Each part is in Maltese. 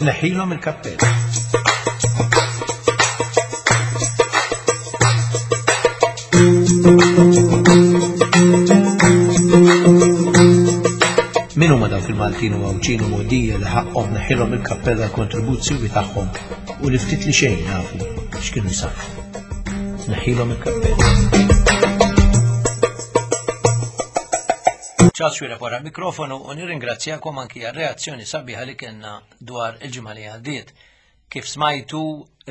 Neħilhom il-kappell. Min huma dawk il-Maltin u Għawdxin u Mogħdija li ħaqqhom neħilhom il-kappell għall-kontribuzzjoni tagħhom u li ftit li xejn nafu x'kienu jsarfu. Neħilhom il-kappell. Charles Xuereb wara l-mikrofonu u nirringrazzjakom anki għar-reazzjoni sabiħa li kellna dwar il-ġimgħa li għaddiet. Kif smajtu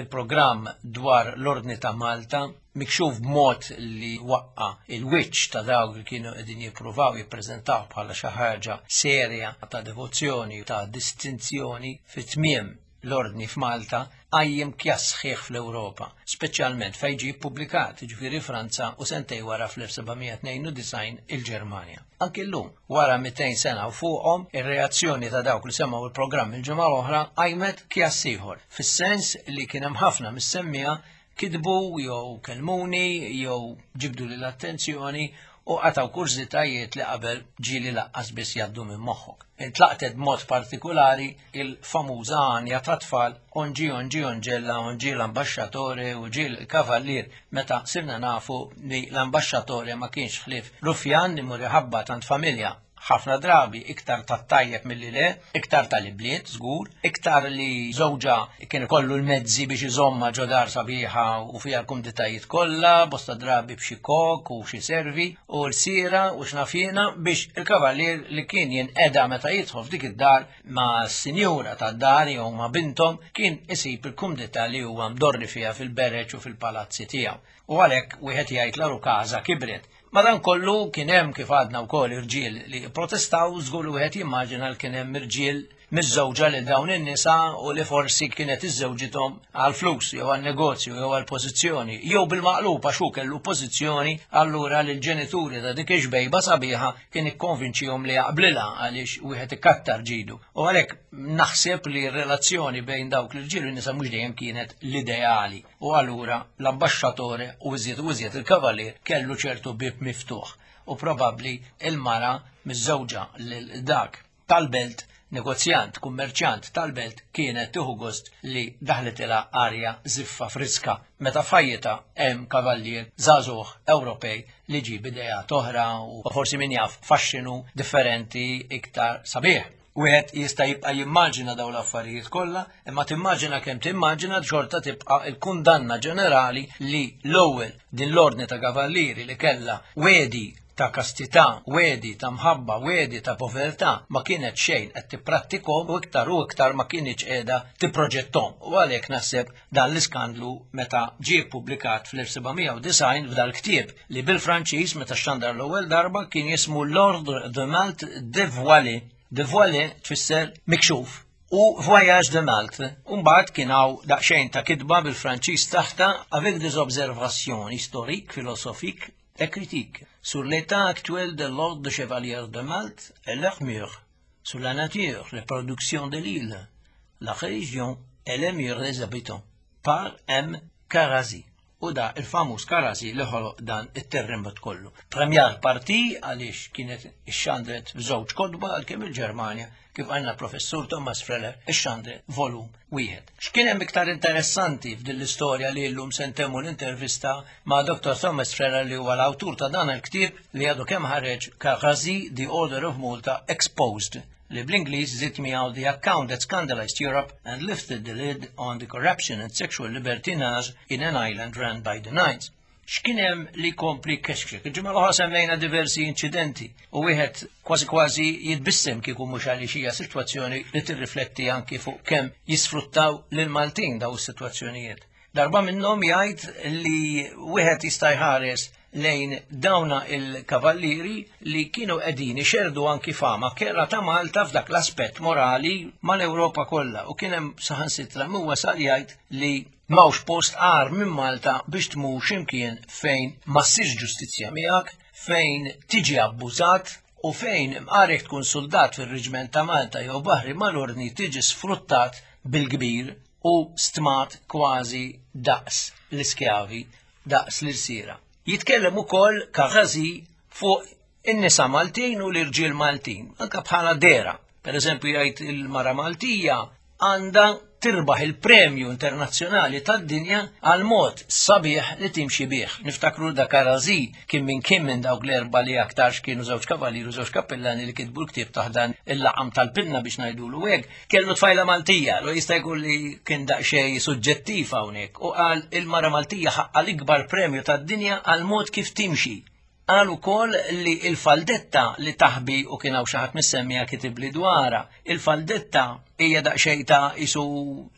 il-programm dwar l-Ordni ta' Malta mikxuf b'mod li waqqa il-wiċċ ta' dawk li kienu qegħdin jippruvaw jippreżentaw bħala xi ħaġa serja ta' devozzjoni ta' distinzjoni fit-tmiem l-ordni f'Malta qajjem kjass sħiħ fl-Ewropa, speċjalment fejn ġie ppubblikat, jiġifieri Franza u sentej wara fl-1792 il-Ġermanja. Anki llum, wara 200 sena u fuqhom, ir-reazzjoni ta' dawk li semgħu il-programm il-ġimgħa l-oħra qajmet kjass ieħor, fis-sens li kien hemm ħafna mis-semmiegħa kitbu jew kellmuni jew ġibdu li l-attenzjoni u qataw kurżitajiet li qabel ġieli laqqas biss jgħaddu minn moħħok. Intlaqtet b'mod partikulari il-famuża għanja ta' tfal onġi onġi onġella onġi l-ambaxxatore u ġi l-kavallier meta sirna nafu li l-ambaxxatore ma kienx ħlief rufjan li mur iħabbat għand familja ħafna drabi iktar tat-tajjeb milli le, iktar tal-ibliet żgur, iktar li żewġha kien ikollu l-mezzi biex iżomma ġo dar sabiħa u fiha l-kumditajiet kollha, bosta drabi b'xi kok u xi servi u l-sira u x'naf jiena biex il-kavallier li kien jinqeda meta jidħol f'dik id-dar ma' sinjura tad-dar jew ma' binthom kien isib il-kumdità li huwa mdorri fiha fil-bereġ u fil-palazzi tiegħu. U għalhekk wieħed jgħid l-għarukaża kibret. Madankollu kien hemm kif għadna wkoll irġiel li protestaw żgur li wieħed jimmaġina li kien hemm irġiel miżżewġa lil dawn in-nisa u li forsi kienet iżżewġithom għal flus jew għal negozju jew għal pożizzjoni jew bil-maqlub għax hu kellu pożizzjoni allura lil ġenituri ta' dik ix-xbejba sabiħa kien ikkonvinċihom li jaqblilha għaliex wieħed ikattar ġidu. U għalhekk naħseb li r-relazzjoni bejn dawk l-irġiel u n-nisa mhux dejjem kienet l-ideali. U allura l-ambaxxatore u iżjed u iżjed il-kavalier kellu ċertu bieb miftuħ u probabbli il-mara miżżewġa lil dak tal-belt negozjant, kummerċjant tal-belt kienet tieħu gost li daħlitilha arja żiffa friska meta f'ħajjitha hemm kavallier żagħżugħ Ewropej li ġie b'ideat oħra u forsi min jaf faxxinu differenti iktar sabiħ. Wieħed jista' jibqa' jimmaġina dawn l-affarijiet kollha, imma timmaġina kemm timmaġina xorta tibqa' l-kundanna ġenerali li l-ewwel din l-ordni ta' kavallieri li kellha wegħdi ta' kastità, wegħdi ta' mħabba, wegħdi ta' povertà ma kienet xejn qed tipprattikhom u iktar u iktar ma kinitx qiegħda tipproġetthom. U għalhekk naħseb dan l-iskandlu meta ġie ppubblikat fl-1790 f'dal-ktieb li bil-Franċiż meta xxandar l-ewwel darba kien jismu L'Ordre de Malte dévoilé. Dévoilé tfisser mikxuf u Voyage de Malte. U mbagħad kien hawn daqsxejn ta' kitba bil-Franċiż taħta avec des observations historiques, philosophiques et critiques sur l'état actuel de l'ordre de chevaliers de Malte et leurs mœurs, sur la nature, les productions de l'île, la religion et les mœurs des habitants, par M. Carazi. U da il-famuż Carazi li ħoloq dan it-terremot kollu. Première partie għaliex kienet ixxandret f'żewġ kotba għalkemm il-Ġermanja kif għandna professur Thomas Freller ixxandret volum wieħed. X'kien hemm iktar interessanti f'din l-istorja li llum se ntemmu l-intervista ma' Dr. Thomas Freller li huwa l-awtur ta' dan il-ktieb li għadu kemm ħareġ Carazi, The Order of Malta Exposed li bl-Ingliż żied miegħu The Account That Scandalized Europe and Lifted the Lid on the Corruption and Sexual Libertinage in an Island Run by the Knights. X'kien hemm li kompli kexkxek? Il-ġimgħa l-oħra semmejna diversi inċidenti u wieħed kważi kważi jitbissem kieku mhux għaliex hija sitwazzjoni li tirrifletti anki fuq kemm jisfruttaw lil Maltin daw is-sitwazzjonijiet. Darba minnhom jgħid li wieħed jista' jħares lejn dawna il-kavallieri li kienu qegħdin ixerdu anki fama kerha ta' Malta f'dak l-aspett morali mal-Ewropa kollha u kien hemm saħansitra min wasal jgħid li m'hawnx post agħar minn Malta biex tmur x'imkien fejn ma ssirx ġustizzja miegħek, fejn tiġi abbużat u fejn imqar jekk tkun suldat fir-Reġiment ta' Malta jew baħri mal-Ordni tiġi sfruttat bil-kbir u stmat kważi daqs l-iskjavi, daqs l-irsiera. Jitkellem ukoll Carazi fuq in-nisa Maltin u l-irġiel Maltin, anka bħala dera. Per eżempju jgħid il-mara Maltija għandha tirbaħ il-premju internazzjonali tad-dinja għal mod sabiħ li timxi bih. Niftakru da Karazi kien minn kien minn dawk l-erba li aktarx kienu żewġ kavaliru, żewġ kappellani li kitbu l-ktieb taħdan il-laqam tal-pinna biex ngħidulu hekk. Kellu tfajla Maltija, lo jista' jkun li kien daqsxejn suġġettiv hawnhekk u qal il-mara Maltija ħaqqa l-ikbar premju tad-dinja għal mod kif timxi. Qal ukoll li l-faldetta li taħbi u kien hawn xi ħadd mis-semmija kitibli dwarha. Il-faldetta hija daqsxejn ta' isu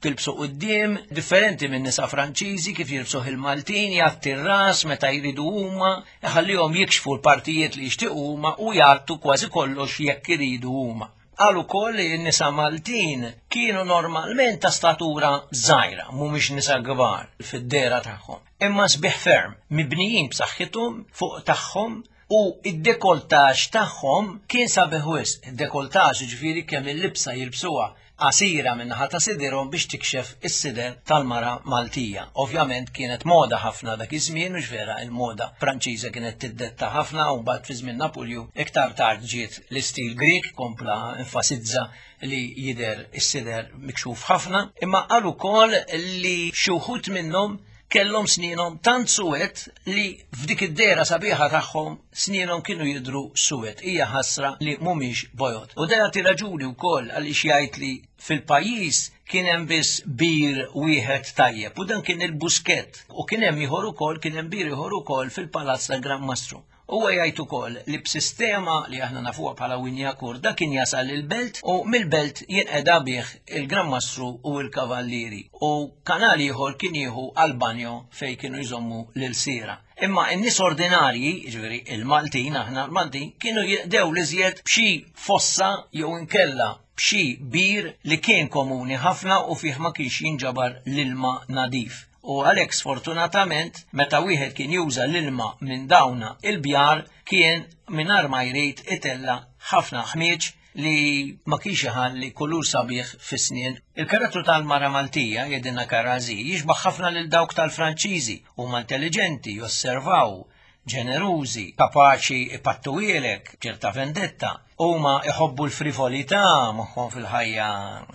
tilbsu quddiem, differenti minn nisa Franċiżi kif jilbsuh il-Maltin, jgħatti r-ras meta jridu huma, iħallihom jikxfu l-partijiet li jixtiequ huma u jgħattu kważi kollox jekk iridu huma. Qal ukoll li n-nisa Maltin kienu normalment ta' statura żgħira, mhumiex nisa kbar fid-dehra tagħhom, imma sbieħ ferm, mibnijin b'saħħithom fuq tagħhom u id-dekoltaġ tagħhom kien sabiħ wisq. Id-dekoltaġ jiġifieri kemm il-libsa jilbsuha qasira min-naħa ta' sidirhom biex tikxef is-sider tal-mara Maltija. Ovvjament kienet moda ħafna dak iż-żmien, hux vera il-moda Franċiża kienet tiddetta ħafna u mbagħad fi żmien Napuljun iktar tard ġiet l-istil Grieg kompla enfasizza li jidher is-sider mikxuf ħafna, imma qal ukoll li xi wħud minnhom kellhom snienhom tant suwed li f'dik id-dehra sabiħa tagħhom snienhom kienu jidhru suwed. Hija ħasra li mhumiex bojod. U dan jagħti raġuni wkoll għaliex jgħid li fil-pajjiż kien hemm biss bir wieħed tajjeb u dan kien il-Buskett u kien hemm ieħor ukoll kien hemm bir ieħor ukoll fil-Palazz tal-Gran Mastru. Huwa jgħid ukoll li b'sistema li aħna nafuha bħala Wignacourt dak kien jasal il-belt u mill-belt jinqeda bih il-Gran Mastru u l-Kavallieri u kanal ieħor kien jieħu għall-banjo fejn kienu jżommu l-ilsiera. Imma n-nies ordinarji, jiġifieri il-Maltin, aħna l-Maltin, kienu jinqdew l-iżjed b'xi fossa jew inkella b'xi bir li kien komuni ħafna u fih ma kienx jinġabar l-ilma nadif. U għalhekk sfortunatament meta wieħed kien juża l-ilma minn dawna il-bjar kien mingħajr ma jrid itella' ħafna ħmieġ li ma kienx iħalli kulur sabiħ fis-snien. Il-karattru tal-mara Maltija, jgħidilna Karazi, jixbaħ ħafna lil dawk tal-Franċiżi, huma intelliġenti, josservaw, ġenerużi, kapaċi ipattuhielek ċerta vendetta, huma iħobbu l-frivolità, moħħhom fil-ħajja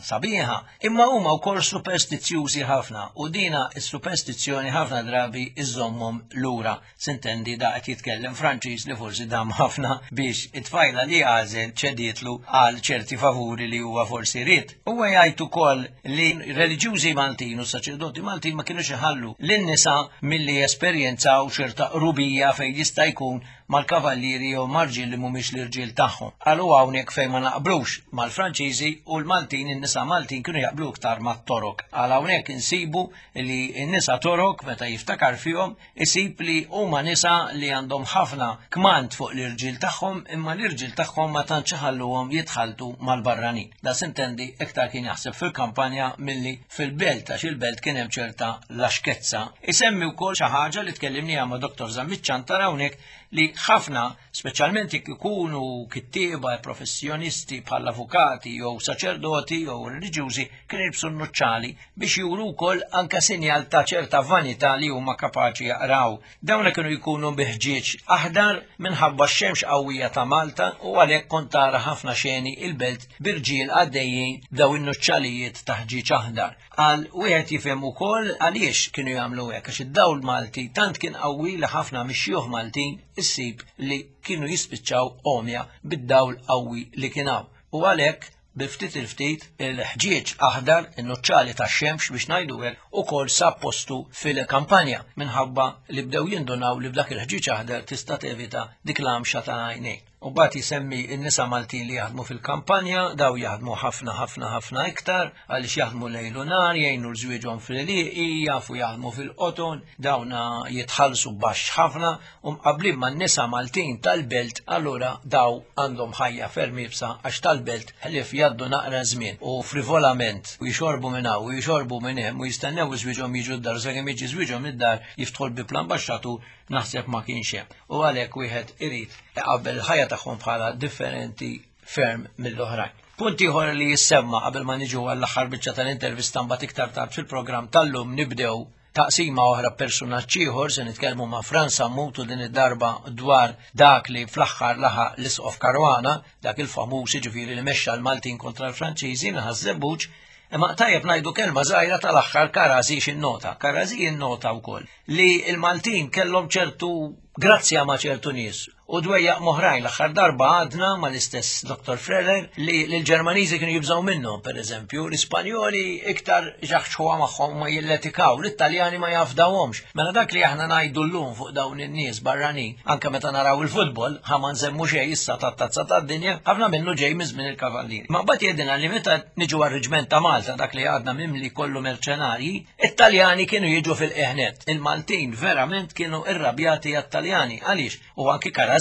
sabiħa, imma huma wkoll superstizzjużi ħafna u dina s-superstizzjoni ħafna drabi iżommhom lura. Sintendi da qed jitkellem Franċiż li forsi dam ħafna biex it-tfajla li għażel ċedietlu għal ċerti favuri li huwa forsi ried. Huwa jgħid ukoll li reliġjużi Maltin u saċerdoti Maltin ma kinux iħallu lin-nisa milli jesperjenzaw ċerta qrubija fejn jista' jkun mal-kavallieri jew ma' rġiel li mhumiex l-irġiel tagħhom. Qalu hawnhekk fejn ma naqblux mal-Franċiżi u l-Maltin, in-nisa Maltin kienu jaqblu iktar mat-Torok. Qal hawnhekk insibu li n-nisa Torok meta jiftakar fihom isib li huma nisa li għandhom ħafna kmand fuq l-irġiel tagħhom imma l-irġiel tagħhom ma tantx iħalluhom jitħalltu mal-barranin. Da sintendi iktar kien jaħseb fil-kampanja milli fil-belt għax il-belt kien hemm ċerta laxkezza. Isemmi wkoll xi ħaġa li tkellimniha ma' Dr. Zammit Ciantar hawnhekk li ħafna, speċjalment jekk ikunu kittieba professjonisti bħal avukati jew saċerdoti jew reliġjużi, kienu jilbsu n-nuċċali biex juru wkoll anke sinjal ta' ċerta vanità li huma kapaċi jaqraw. Dawna kienu jkunu bi ħġieġ aħdar minħabba x-xemx qawwija ta' Malta u għalhekk kont tara ħafna xeni il-belt b'irġiel għaddejjin b'daw in-nuċċalijiet ta' ħġieġ aħdar. Għal wieħed jifhem ukoll għaliex kienu jagħmlu hekk għax id-dawl Malti tant kien qawwi li ħafna mix-xjuħ Maltin issib li kienu jispiċċaw għomja bid-dawl qawwi li kien hawn. U għalhekk bi ftit il-ftit il-ħġieġ aħdar, in-nuċċali tax-xemx biex ngħidu hekk, ukoll sab postu fil-kampanja minħabba li bdew jindunaw li b'dak il-ħġieġ aħdar tista' tevita dik l-għamxa tal-għajnejn. U mbagħad jsemmi n-nisa Maltin li jaħdmu fil-kampanja, daw jaħdmu ħafna ħafna ħafna iktar għaliex jaħdmu lejl u nhar, jgħinu l-żwieġhom fl-għelieqi, jafu jaħdmu fil-qoton, dawna jitħallsu baxx ħafna u mqabblin man-nisa Maltin tal-belt allura daw għandhom ħajja ferm iebsa għax tal-belt ħlief jgħaddu naqra żmien u frivolament u jixorbu minn hawn u jixorbu minn hemm u jistennew żwieġhom jiġu d-dar sakemm jiġi żwieġhom id-dar jiftħu l-bieb l-ambaxxatur naħseb ma kienx hemm. U għalhekk wieħed irid iqabbel il-ħajja tagħhom bħala differenti ferm mill-oħrajn. Punt ieħor li jissemma qabel ma niġu għall-aħħar biċċa tal-intervista mbagħad iktar tard fil-programm tal-lum nibdew taqsima oħra personaġġ ieħor se nitkellmu ma' Franz Sammut u din id-darba dwar dak li fl-aħħar laħaq l-Isqof Caruana, dak il-famuż jiġifieri li mexxa l-Maltin kontra l-Franċiżi naħa żebbuġ. Imma tajjeb ngħidu kelma żgħira tal-aħħar Karazi x'innota. Karazi jinnota wkoll li l-Maltin kellhom ċertu grazzja ma' ċertu nies u dwejjaq m'oħrajn. L-aħħar darba għadna mal-istess Dr. Freller li l-Ġermaniżi kienu jibżgħu minnhom, pereżempju, l-Ispanjoli iktar ġaħġħuha magħhom ma jilletikaw, l-Italjani ma jafdawhomx. Mela dak li aħna ngħidu llum fuq dawn in-nies barranin, anke meta naraw il-futbol, ħa ma nsemmu xejn issa tat-tazza tad-dinja, ħafna minnu ġej minn żmien il-Kavallieri. Ma mbagħad jgħidilna li meta niġu għar-Reġment ta' Malta, dak li għadna mimli kollu merċenarji, it-Taljani kienu jiġu fil-qiegħ nett. Il-Maltin verament kienu irrabjati għat-Taljani. Għaliex? U anki Karazi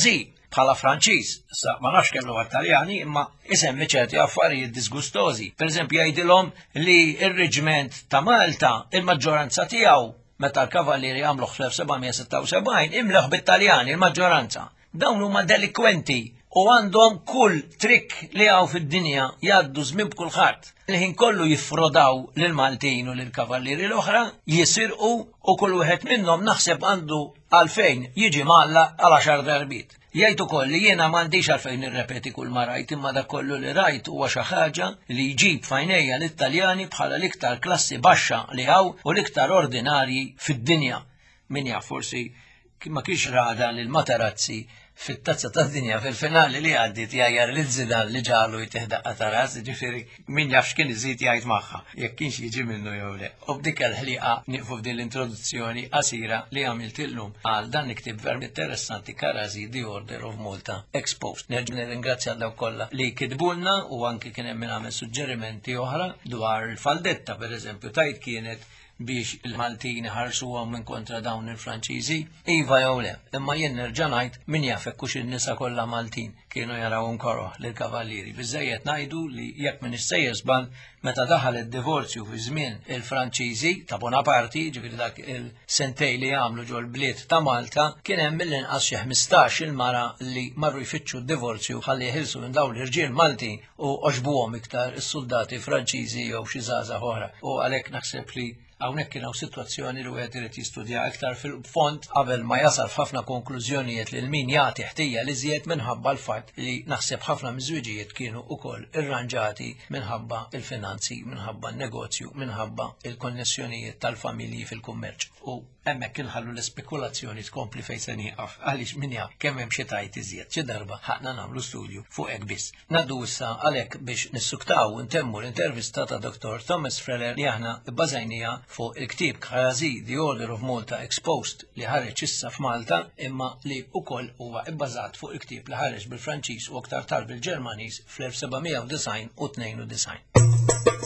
bħala Franċiż, sa ma nafx kemm huwa Taljani, imma isemmi ċerti affarijiet disgustożi. Per eżempju jgħidilhom li r-reġment ta' Malta, il-maġġoranza tiegħu meta l-Kavallieri għamluh fl-1776 imleħ bit-Taljani il-maġġoranza. Dawn huma delikwenti u għandhom kull trikk li hawn fid-dinja jgħaddu żmien b'kulħadd. Il-ħin kollu jiffrodaw lill-Maltin u lill-Kavallieri l-oħra, jisirqu u kull wieħed minnhom naħseb għandu għalfejn jiġi mgħallaq għal għaxar darbiet. Jgħid ukoll li jiena m'għandix għalfejn nirrepeti kull ma rajt imma dak kollu li rajt huwa xi ħaġa li jġib f'għajnejja lit-Taljani bħala l-iktar klassi baxxa li hawn u l-iktar ordinarji fid-dinja. Min jaf forsi ma kienx rada lil Materazzi fit-tazza tad-dinja fil-finali li għaddiet jgħajjar lil Zidane li ġalu jtih daqqa ta' ras, ġifieri min jaf x'kien iżid jgħid magħha, jekk kienx jiġi minnu jew le. U b'dik il-ħliqa nieqfu f'din l-introduzzjoni qasira li għamilt illum għal dan il-ktieb verament interessanti Karazi The Order of Malta Exposed. Nerġa' nirringrazzja dawk kollha li kitbulna u anki kien hemm min għamel suġġerimenti oħra dwar il-faldetta pereżempju tajt kienet biex il-Maltin iħarsuhom minn kontra dawn il-Franċiżi? Iva jew le, imma jien nerġa' ngħid min jaf hekk hux in-nisa kollha Maltin kienu jarawhom koroh lill-kavallieri. Biżżejjed ngħidu li jekk m'iniex sejjer żball meta daħal id-divorzju fi żmien il-Franċiżi ta' Bonaparti, ġifieri dak il-sentej li għamlu ġol-bliet ta' Malta, kien hemm mill-inqas xi 15 il-mara li marru jfittxu d-divorzju ħalli jeħilsu minn dawn l-irġiel Maltin u għoġbuhom iktar is-suldati Franċiżi jew xi żgħażagħ oħra. U għalhekk naħseb li hawnhekk kien hawn sitwazzjoni li wieħed irid jistudja iktar fil-fond qabel ma jasal f'ħafna konklużjonijiet lil min jagħti ħtija li żjed minħabba l-fatt li naħseb ħafna miż-żwiġijiet kienu wkoll irranġati minħabba il-finanzi, minħabba n-negozju, minħabba il-konnessjonijiet tal-familji fil-kummerċ. U Hemmhekk inħallu l-ispekulazzjoni tkompli fejn se nieqaf għaliex min jaf kemm hemm xi tajt iżjed. Xi darba ħaqna nagħmlu studju fuq hekk biss. Ngħaddu issa għalhekk biex nissuktaw u ntemmu l-intervista ta' Dr. Thomas Freller li aħna bbażajniha fuq il-ktieb Karazi The Order of Malta Exposed li ħareġ issa f'Malta imma li wkoll huwa bbażat fuq il-ktieb li ħareġ bil-Franċiż u aktar tard bil-Ġermaniż fl-1792 u 92.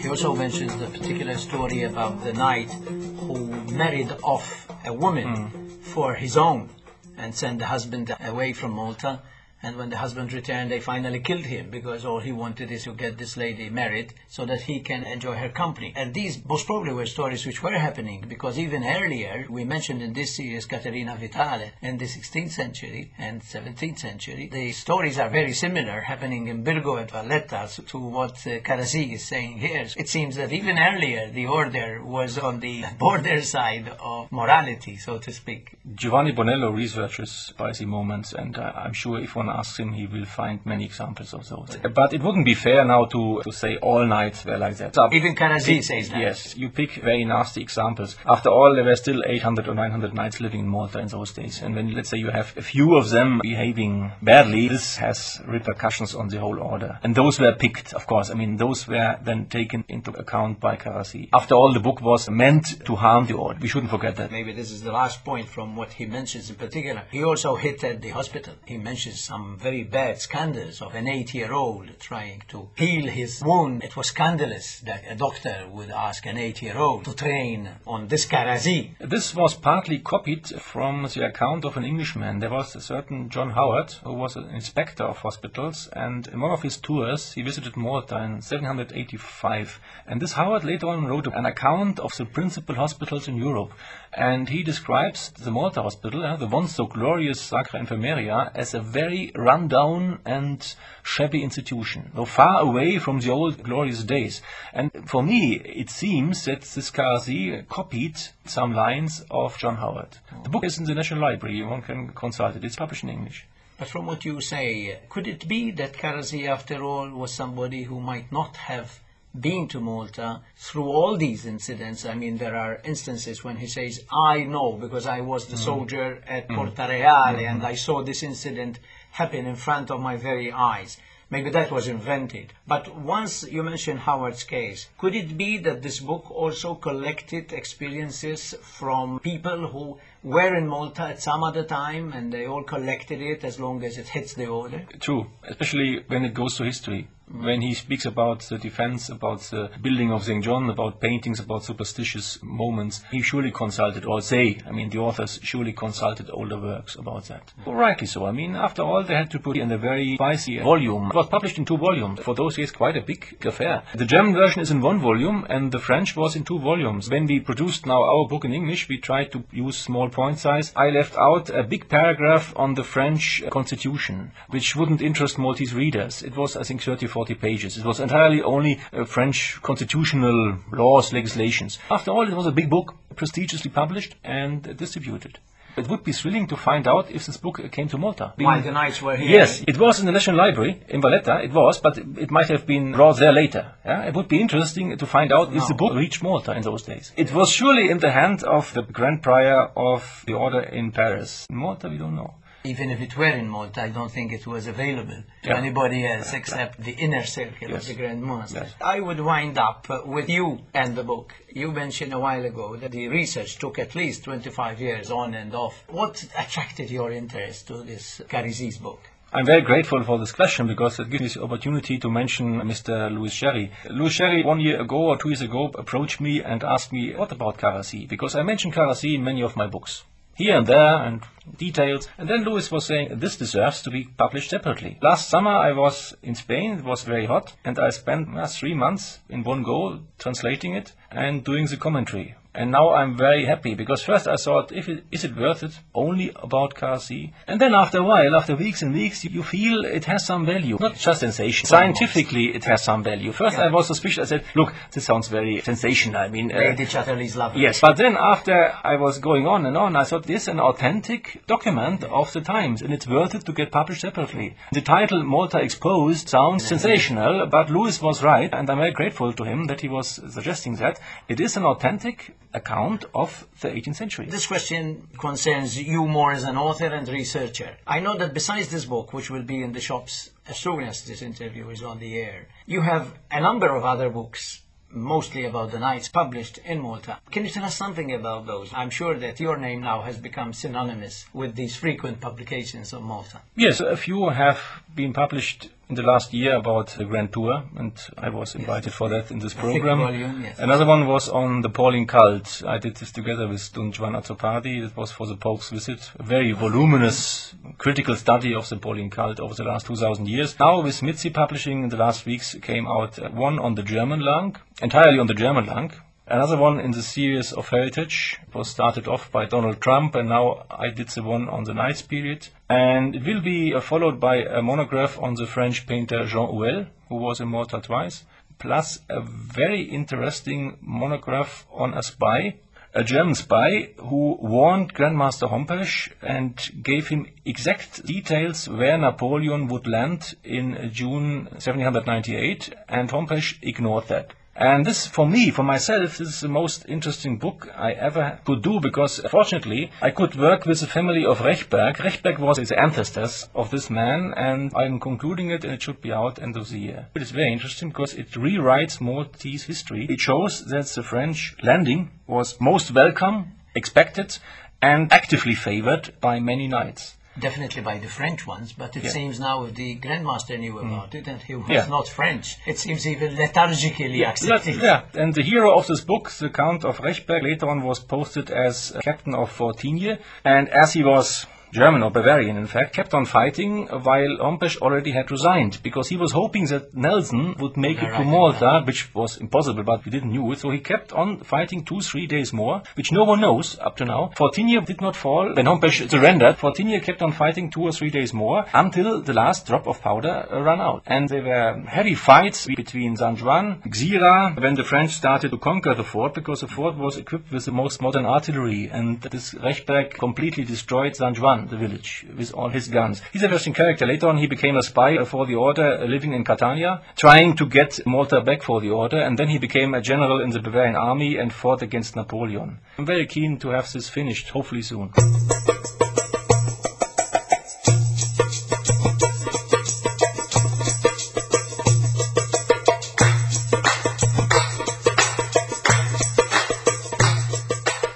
He also mentions the particular story about the knight who married off a woman for his own and sent the husband away from Malta. And when the husband returned, they finally killed him because all he wanted is to get this lady married so that he can enjoy her company. And these most probably were stories which were happening because even earlier, we mentioned in this series Caterina Vitale in the 16th century and 17th century. The stories are very similar happening in Birgu and Valletta to what Karazi is saying here. It seems that even earlier, the order was on the border side of morality, so to speak. Giovanni Bonello researches spicy moments, and I'm sure if one asks him, he will find many examples of those. But it wouldn't be fair now to say all knights were like that. Even Karazi says that. Yes, you pick very nasty examples. After all, there were still 800 or 900 knights living in Malta in those days. And when, let's say, you have a few of them behaving badly, this has repercussions on the whole order. And those were picked, of course. Those were then taken into account by Karazi. After all, the book was meant to harm the order. We shouldn't forget that. Maybe this is the last point from what he mentions in particular. He also hit at the hospital. He mentions some some very bad scandals of an 8-year-old trying to heal his wound. It was scandalous that a doctor would ask an 8-year-old to train on this Karasi. This was partly copied from the account of an Englishman. There was a certain John Howard, who was an inspector of hospitals, and in one of his tours he visited Malta in 785. And this Howard later on wrote an account of the principal hospitals in Europe. And he describes the Malta hospital, the once so glorious Sacra Infermeria, as a very run-down and shabby institution, so far away from the old glorious days. And for me, it seems that this Karasi copied some lines of John Howard. The book is in the National Library, one can consult it. It's published in English. But from what you say, could it be that Karasi, after all, was somebody who might not have been to Malta through all these incidents? I mean, there are instances when he says, I know because I was the soldier at Porta Reale and I saw this incident happen in front of my very eyes. Maybe that was invented. But once you mention Howard's case, could it be that this book also collected experiences from people who were in Malta at some other time and they all collected it as long as it hits the order? True, especially when it goes to history. When he speaks about the defense, about the building of St. John, about paintings, about superstitious moments, he surely consulted, or they, I mean the authors, surely consulted older works about that. Well, rightly so. I mean, after all, they had to put in a very spicy volume. It was published in 2 volumes. For those years, quite a big affair. The German version is in 1 volume, and the French was in 2 volumes. When we produced now our book in English, we tried to use small point size. I left out a big paragraph on the French constitution, which wouldn't interest Maltese readers. It was, I think, 30-40 pages. It was entirely only French constitutional laws, legislations. After all, it was a big book, prestigiously published and distributed. It would be thrilling to find out if this book came to Malta. While the Knights were here. Yes, it was in the National Library in Valletta, it was, but it might have been brought there later. Yeah? It would be interesting to find out if the book reached Malta in those days. It was surely in the hand of the Grand Prior of the Order in Paris. In Malta, we don't know. Even if it were in Malta, I don't think it was available to anybody else except the inner circle of the Grand Master. Yes. I would wind up with you and the book. You mentioned a while ago that the research took at least 25 years on and off. What attracted your interest to this Karasi's book? I'm very grateful for this question because it gives me the opportunity to mention Mr. Louis Scerri. Louis Scerri, 1 year ago or 2 years ago, approached me and asked me, what about Karasi? Because I mentioned Karasi in many of my books. Here and there, and details. And then Louis was saying, this deserves to be published separately. Last summer I was in Spain, it was very hot, and I spent 3 months in one go translating it and doing the commentary. And now I'm very happy, because first I thought, is it worth it? Only about Karasi? And then after a while, after weeks and weeks, you feel it has some value. Not just sensation. Scientifically, it has some value. First I was suspicious. I said, look, this sounds very sensational. I mean, Lady Chatterley's lover. Yes, but then after I was going on and on, I thought, this is an authentic document of the times, and it's worth it to get published separately. The title, Malta Exposed, sounds sensational, but Louis was right, and I'm very grateful to him that he was suggesting that. It is an authentic account of the 18th century. This question concerns you more as an author and researcher. I know that besides this book, which will be in the shops as soon as this interview is on the air, you have a number of other books, mostly about the Knights, published in Malta. Can you tell us something about those? I'm sure that your name now has become synonymous with these frequent publications of Malta. Yes, a few have been published in the last year about the Grand Tour, and I was invited for that in this A thick program. volume, yes. Another one was on the Pauline cult. I did this together with Don Juan Azzopardi. It was for the Pope's visit. A very voluminous critical study of the Pauline cult over the last 2,000 years. Now with Mizzi Publishing in the last weeks came out one on the German langue, entirely on the German langue. Another one in the series of heritage was started off by Donald Trump, and now I did the one on the Knights period. And it will be followed by a monograph on the French painter Jean Houël, who was in Malta twice, plus a very interesting monograph on a spy, a German spy who warned Grandmaster Hompesch and gave him exact details where Napoleon would land in June 1798, and Hompesch ignored that. And this, for me, for myself, this is the most interesting book I ever could do, because fortunately I could work with the family of Rechberg. Rechberg was the ancestors of this man, and I'm concluding it, and it should be out end of the year. It is very interesting because it rewrites Maltese history. It shows that the French landing was most welcome, expected, and actively favored by many knights. Definitely by the French ones, but it seems now if the Grand Master knew about it and he was not French, it seems even lethargically accepted. Yeah, and the hero of this book, the Count of Rechberg, later on was posted as captain of Fort Tigné, and as he was German or Bavarian, in fact, kept on fighting while Hompesch already had resigned, because he was hoping that Nelson would make it to Malta, which was impossible, but we didn't knew it. So he kept on fighting 2-3 days more, which no one knows up to now. Fort Tigné did not fall. When Hompesch surrendered, Fort Tigné kept on fighting 2 or 3 days more until the last drop of powder ran out. And there were heavy fights between San Juan, Gzira, when the French started to conquer the fort, because the fort was equipped with the most modern artillery, and this Rechberg completely destroyed San Juan, the village, with all his guns. He's an interesting character. Later on he became a spy for the order, living in Catania, trying to get Malta back for the order, and then he became a general in the Bavarian army and fought against Napoleon. I'm very keen to have this finished, hopefully soon.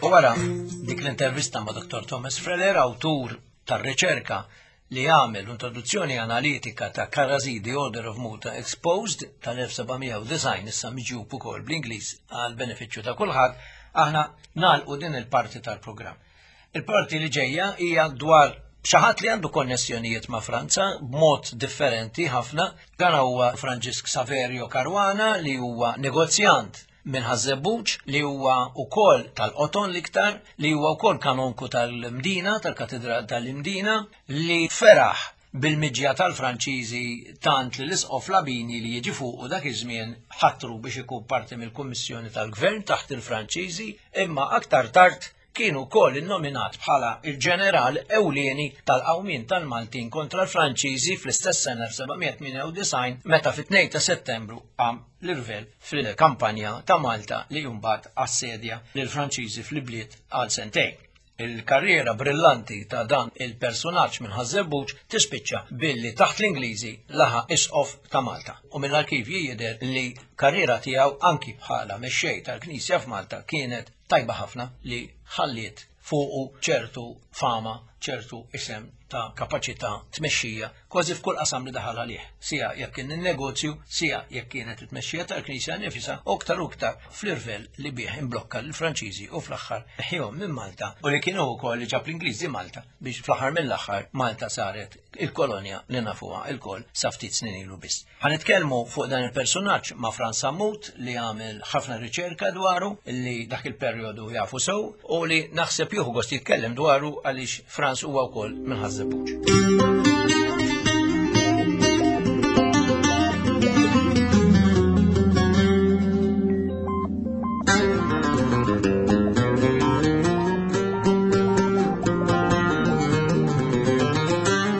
U wara dik l-intervista ma' Dr. Thomas Freller, awtur tar-riċerka li għamel introduzzjoni analitika ta' Karrażi The Order of Malta Exposed tal-1790 issa miġjub ukoll bl-Ingliż għal benefiċċju ta' kulħadd, aħna nagħlqu din il-parti tal-programm. Il-parti li ġejja hija dwar xi ħadd li għandu konnessjonijiet ma' Franza b'mod differenti ħafna. Dan huwa Franġisk Saverio Caruana li huwa negozjant minn Ħaż-Żebbuġ, li huwa wkoll tal-Qoton l-iktar, li huwa wkoll kanonku tal-Mdina, tal-Katedral tal-Imdina, li feraħ bil-miġja tal-Franċiżi tant li l-Isqof Labini li jiġi fuqu dak iż-żmien ħatru biex ikun parti mill-Kummissjoni tal-Gvern taħt il-Franċiżi, imma aktar tard kien ukoll innominat bħala il-ġeneral ewlieni tal-qawmien tal-Maltin kontra l-Franċiżi fl-istess sena 1798 meta fit-2 ta' Settembru qam l-irvel fil-kampanja ta' Malta li mbagħad assedja lill-Franċiżi fl-ibliet għal sentejn. Il-karriera brillanti ta' dan il-personaġġ minn Ħaż-Żebbuġ tispiċċa billi taħt l-Ingliżi laħa isqof ta' Malta. U mill-arkivji jidher li karriera tiegħu anki bħala mexxej tal-Knisja f'Malta kienet tajba ħafna li ħalliet fuqu ċertu fama, ċertu isem ta' kapaċità tmexxija kważi f'kull qasam li daħal għalih, sija jekk kien in-negozju, sija jekk kienet it-tmexxija tal-Knisja nifisha, u aktar u aktar fl-irvel li bih imblokka lill-Franċiżi u fl-aħħar neħħihom minn Malta, u li kienu wkoll li ġab l-Ingliżi Malta biex fl-aħħar mill-aħħar Malta saret il-kolonja li nafuha lkoll sa ftit snin ilu biss. Ħa nitkellmu fuq dan il-personaġġ ma' Frans Sammut li għamel ħafna riċerka dwaru, li dak il-perjodu jafu sew u li naħseb jieħu gost jitkellem dwaru għaliex Frans huwa wkoll minn Ħaż-Żebbuġ.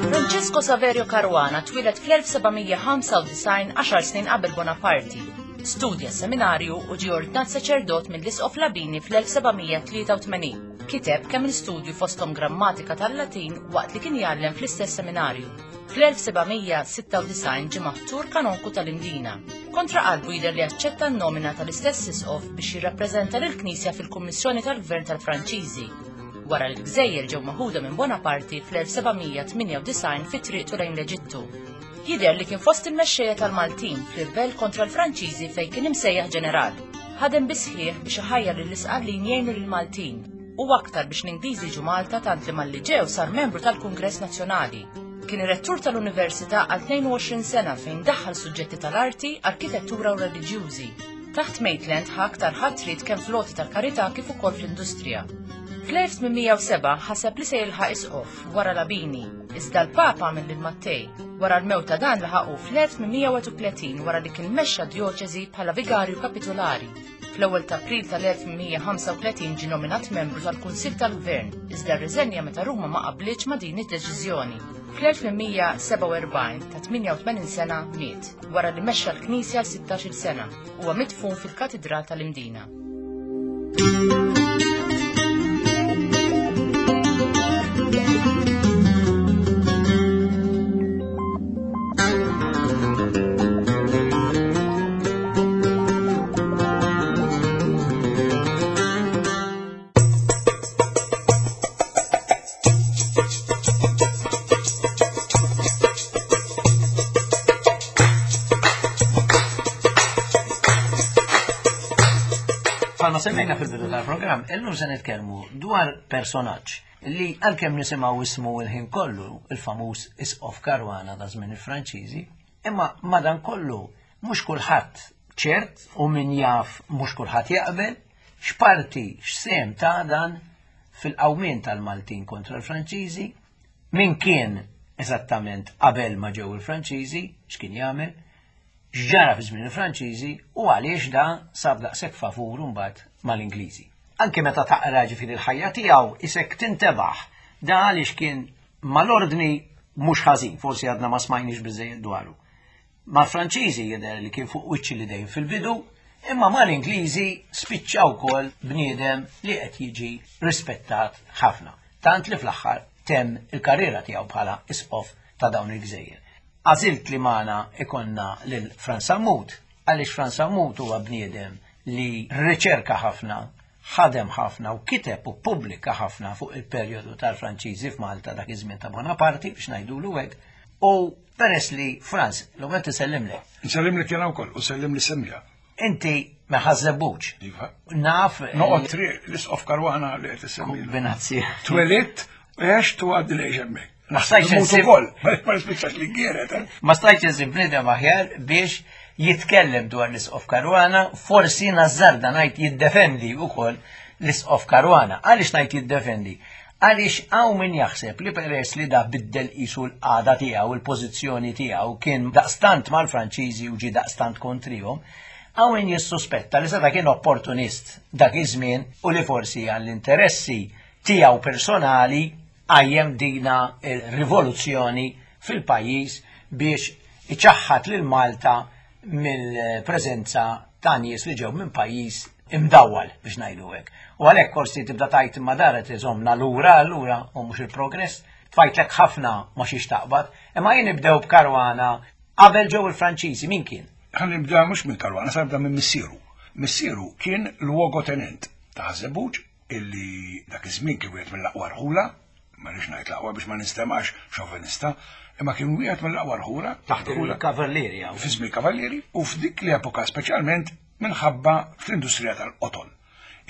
Francesco Saverio Caruana twieled fl-1795 għaxar snin qabel Bonaparte. Studja seminarju u ġie ordnat saċerdot mill-Isqof Labini fl-1783. Kiteb kemm il-studju fosthom grammatika tal-Latin waqt li kien jgħallem fl-istess seminarju. Fl-1796 ġie maħtur kanonku tal-Imdina. Kontra qalbu jidher li aċċetta n-nomina tal-istess isqof biex jirrappreżenta lill-Knisja fil-Kummissjoni tal-Gvern tal-Franċiżi. Wara li l-gżejjer ġew maħuda minn Bonaparte fl-1798 fi triqtu lejn l-Eġittu. Jidher li kien fost il-mexxejja tal-Maltin fl-irvell kontra l-Franċiżi fejn kien imsejjaħ ġeneral. Ħadem bis-sħiħ biex iħajjar lill-Isqallin jgħinu lill-Maltin u aktar biex l-Ingliżi jiġu Malta tant li malli ġew sar membru tal-Kungress Nazzjonali. Kien ir-rettur tal-Università għal 22 sena fejn daħħal suġġetti tal-arti, arkitettura u reliġjużi. Taħt Maitland ħa aktar ħatriet kemm fl-għoti tal-karità kif ukoll fl-industrija. Fl-1807 ħaseb li se jilħaq isqof wara Labini, iżda l-Papa għamel lil Mattei. Wara l-mewt ta' dan laħaqu fl-1831 wara li kien mexxa djoċesi bħala vigarju kapitolari. Fl-ewwel ta' April tal-1835 ġie nominat membru tal-Kunsill tal-Gvern, iżda rriżenja meta Ruma ma qablitx ma' din id-deċiżjoni. Fl-1847 ta' 88 sena miet, wara li mexxa l-Knisja għal 16-il sena. Huwa midfun fil-Katidral tal-Imdina. Bħalma semmejna fil-bidu tal-programm, illum se nitkellmu dwar personaġġ li għalkemm nisimgħu ismu l-ħin kollu, il-famuż Isqof Caruana ta' żmien il-Franċiżi, imma madankollu mhux kulħadd ċert u min jaf mhux kulħadd jaqbel x'parti x'sehem ta' dan fil-qawmien tal-Maltin kontra l-Franċiżi, min kien eżattament qabel ma ġew il-Franċiżi, x'kien jagħmel, x'ġara fi żmien il-Franċiżi u għaliex da sab daqshekk favur imbagħad mal-Ingliżi. Anke meta taqra ġifieri l-ħajja tiegħu isek tintebaħ da għaliex kien mal-ordni mhux ħażin, forsi għadna ma smajniex biżejjed dwaru. Mal-Franċiżi jidher li kien fuq wiċċ l-idejn fil-bidu, imma mal-Ingliżi spiċċa wkoll bniedem li qed jiġi rispettat ħafna. Tant li fl-aħħar temm il-karriera tiegħu bħala isqof ta' dawn il-gżejjer. Għażilt li magħna ikollna lil Frans Sammut, għaliex Frans Sammut huwa bniedem li rriċerka ħafna, ħadem ħafna u kiteb u ppubblika ħafna fuq il-perjodu tal-Franċiżi f'Malta dak iż-żmien ta' Bonaparte biex ngħidulu hekk. U peress li Frans, l-ewwel tisellimlek. Nsellimlek jiena wkoll u sellim li semja. Inti ma ħażebbuġ. Iva. Naf. Noqgħod triq l-isqof Karwana li qed issemmi. Benazzi. Twelidt, għext u għaddi lejx hemmhekk. Ma stajtx insib. Ukoll, ma nispiċċax li gieret. Eh? Ma stajtx insib bniedem aħjar biex jitkellem dwar l-isqof Karwana, forsi nażżarda ngħid jiddefendi wkoll l-isqof Karwana. Għaliex ngħid jiddefendi? Għaliex hawn min jaħseb li peress li da biddel qisu l-qagħda tiegħu, il-pożizzjoni tiegħu kien daqstant mal-Franċiżi u ġie daqstant kontrihom, hawn min jissuspetta li seta' kien opportunist dak iż-żmien u li forsi għall-interessi tiegħu personali qajjem dina r-rivoluzzjoni fil-pajjiż biex iċaħħad lil Malta mill-preżenza ta' nies li ġew minn pajjiż imdawwal biex ngħidu hekk. U għalhekk forsi tibda tgħid imma dar qed iżommna lura allura u mhux il-progress. Tfajtlek ħafna ma xiex taqbad. Imma jien nibdew b'Karwana qabel ġew il-Franċiżi min kien? Ħa nibda mhux minn Karwana, sa nibda minn missieru. Missieru kien luogotenent ta' Ħaż-Żebbuġ illi dak iż-żmien kien wieħed mill-aqwa rħula, ma rridx ngħid l-aqwa biex ma nistemax xovenista, imma kien wieħed mill-aqwa rħula. Taħt il-Kavallieri. Fi żmien Kavallieri u f'dik l-epoka speċjalment minħabba fl-industrija tal-qoton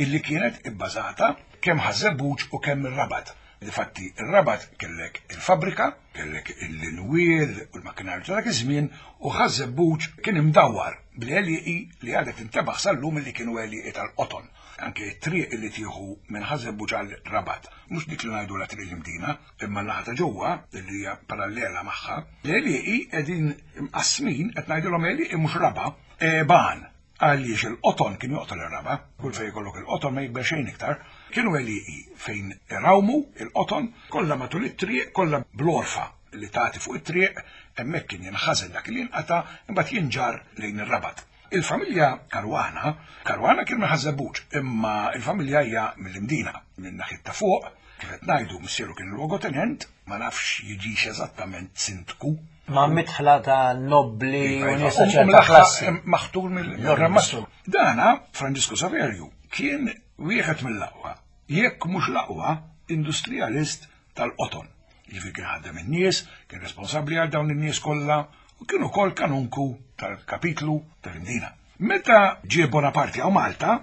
illi kienet ibbażata kemm Ħaż-Żebbuġ u kemm ir-Rabat. Difatti, ir-Rabat kellek il-fabbrika, kellek l-inwiel u l-makkinarju ta' dak iż-żmien u Ħaż-Żebbuġ kien imdawwar bl-għelieqi li għadek tintebaħ sal-lum illi kienu għelieqi tal-qoton. Anke t-triq li tieħu minn Ħaż-Żebbuġ għal Rabat, mhux dik li ngħidulha Triq l-Imdina, imma n-naħa ta' ġewwa li hija parallela magħha, l-għelieqi qegħdin imqassmin, qed ngħidilhom għelieqi mhux raba', għeban, għaliex il-qoton kien joqtol ir-raba', kull fejn ikollok il-qoton ma jikber xejn iktar, kienu għelieqi fejn irawmu il-qoton, kollha matul it-triq, kollha bl-għorfa li tagħti fuq it-triq, hemmhekk kien jinħażen dak li jinqata' imbagħad jinġarr lejn ir-Rabat. Il-familja Caruana, Caruana kien minn Ħaż-Żebbuġ, imma il-familja hija mill-Imdina, minn naħiet ta' fuq, kif qed ngħidu missieru kien luogotenent, ma nafx jiġix eżattament sindku. Ma' midħla ta' nobbli iva, u iva, nies ta' ċerta klassi. Maħtur mill-Gran Mastru. Dana, Franġisku Saverju, kien wieħed mill-aqwa, jekk mhux l-aqwa, industrijalist tal-qoton. Jiġifieri kien ħaddem in-nies, kien responsabbli għal dawn in-nies kollha u kien ukoll kanunku tal-kapitlu tal-Imdina. Meta ġie Bonaparte hawn Malta,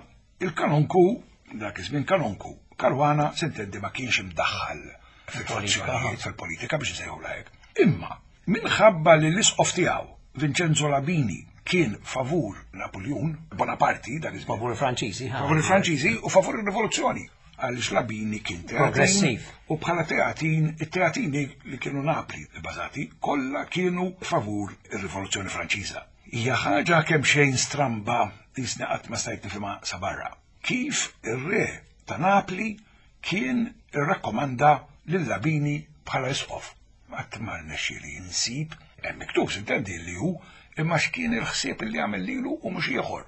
il-kanunku, dak iż-żmien kanunku, Caruana s'intendi ma kienx imdaħħal fil-fazzjonijiet, fil-politika biex insejħulha hekk. Imma minħabba li l-isqof tiegħu, Vincenzo Labini, kien favur Napuljun, Bonaparte, dak iż-żmien. Favur il-Franċiżi. Favur il-Franċiżi u favur ir-rivoluzzjoni. Għaliex Labini kien teatin. Progressiv. U bħala teatin, it-teatini li kienu Napli bbażati, kollha kienu favur ir-Rivoluzzjoni Franċiża. Hija ħaġa kemm xejn stramba jisni qatt ma stajt nifhimha sa barra. Kif ir-re ta' Napli kien irrakkomanda lil Labini bħala isqof. Qatt ma rnexxieli insib, hemm miktub s'intendi li hu, imma x'kien il-ħsieb li għamel lilu u mhux ieħor.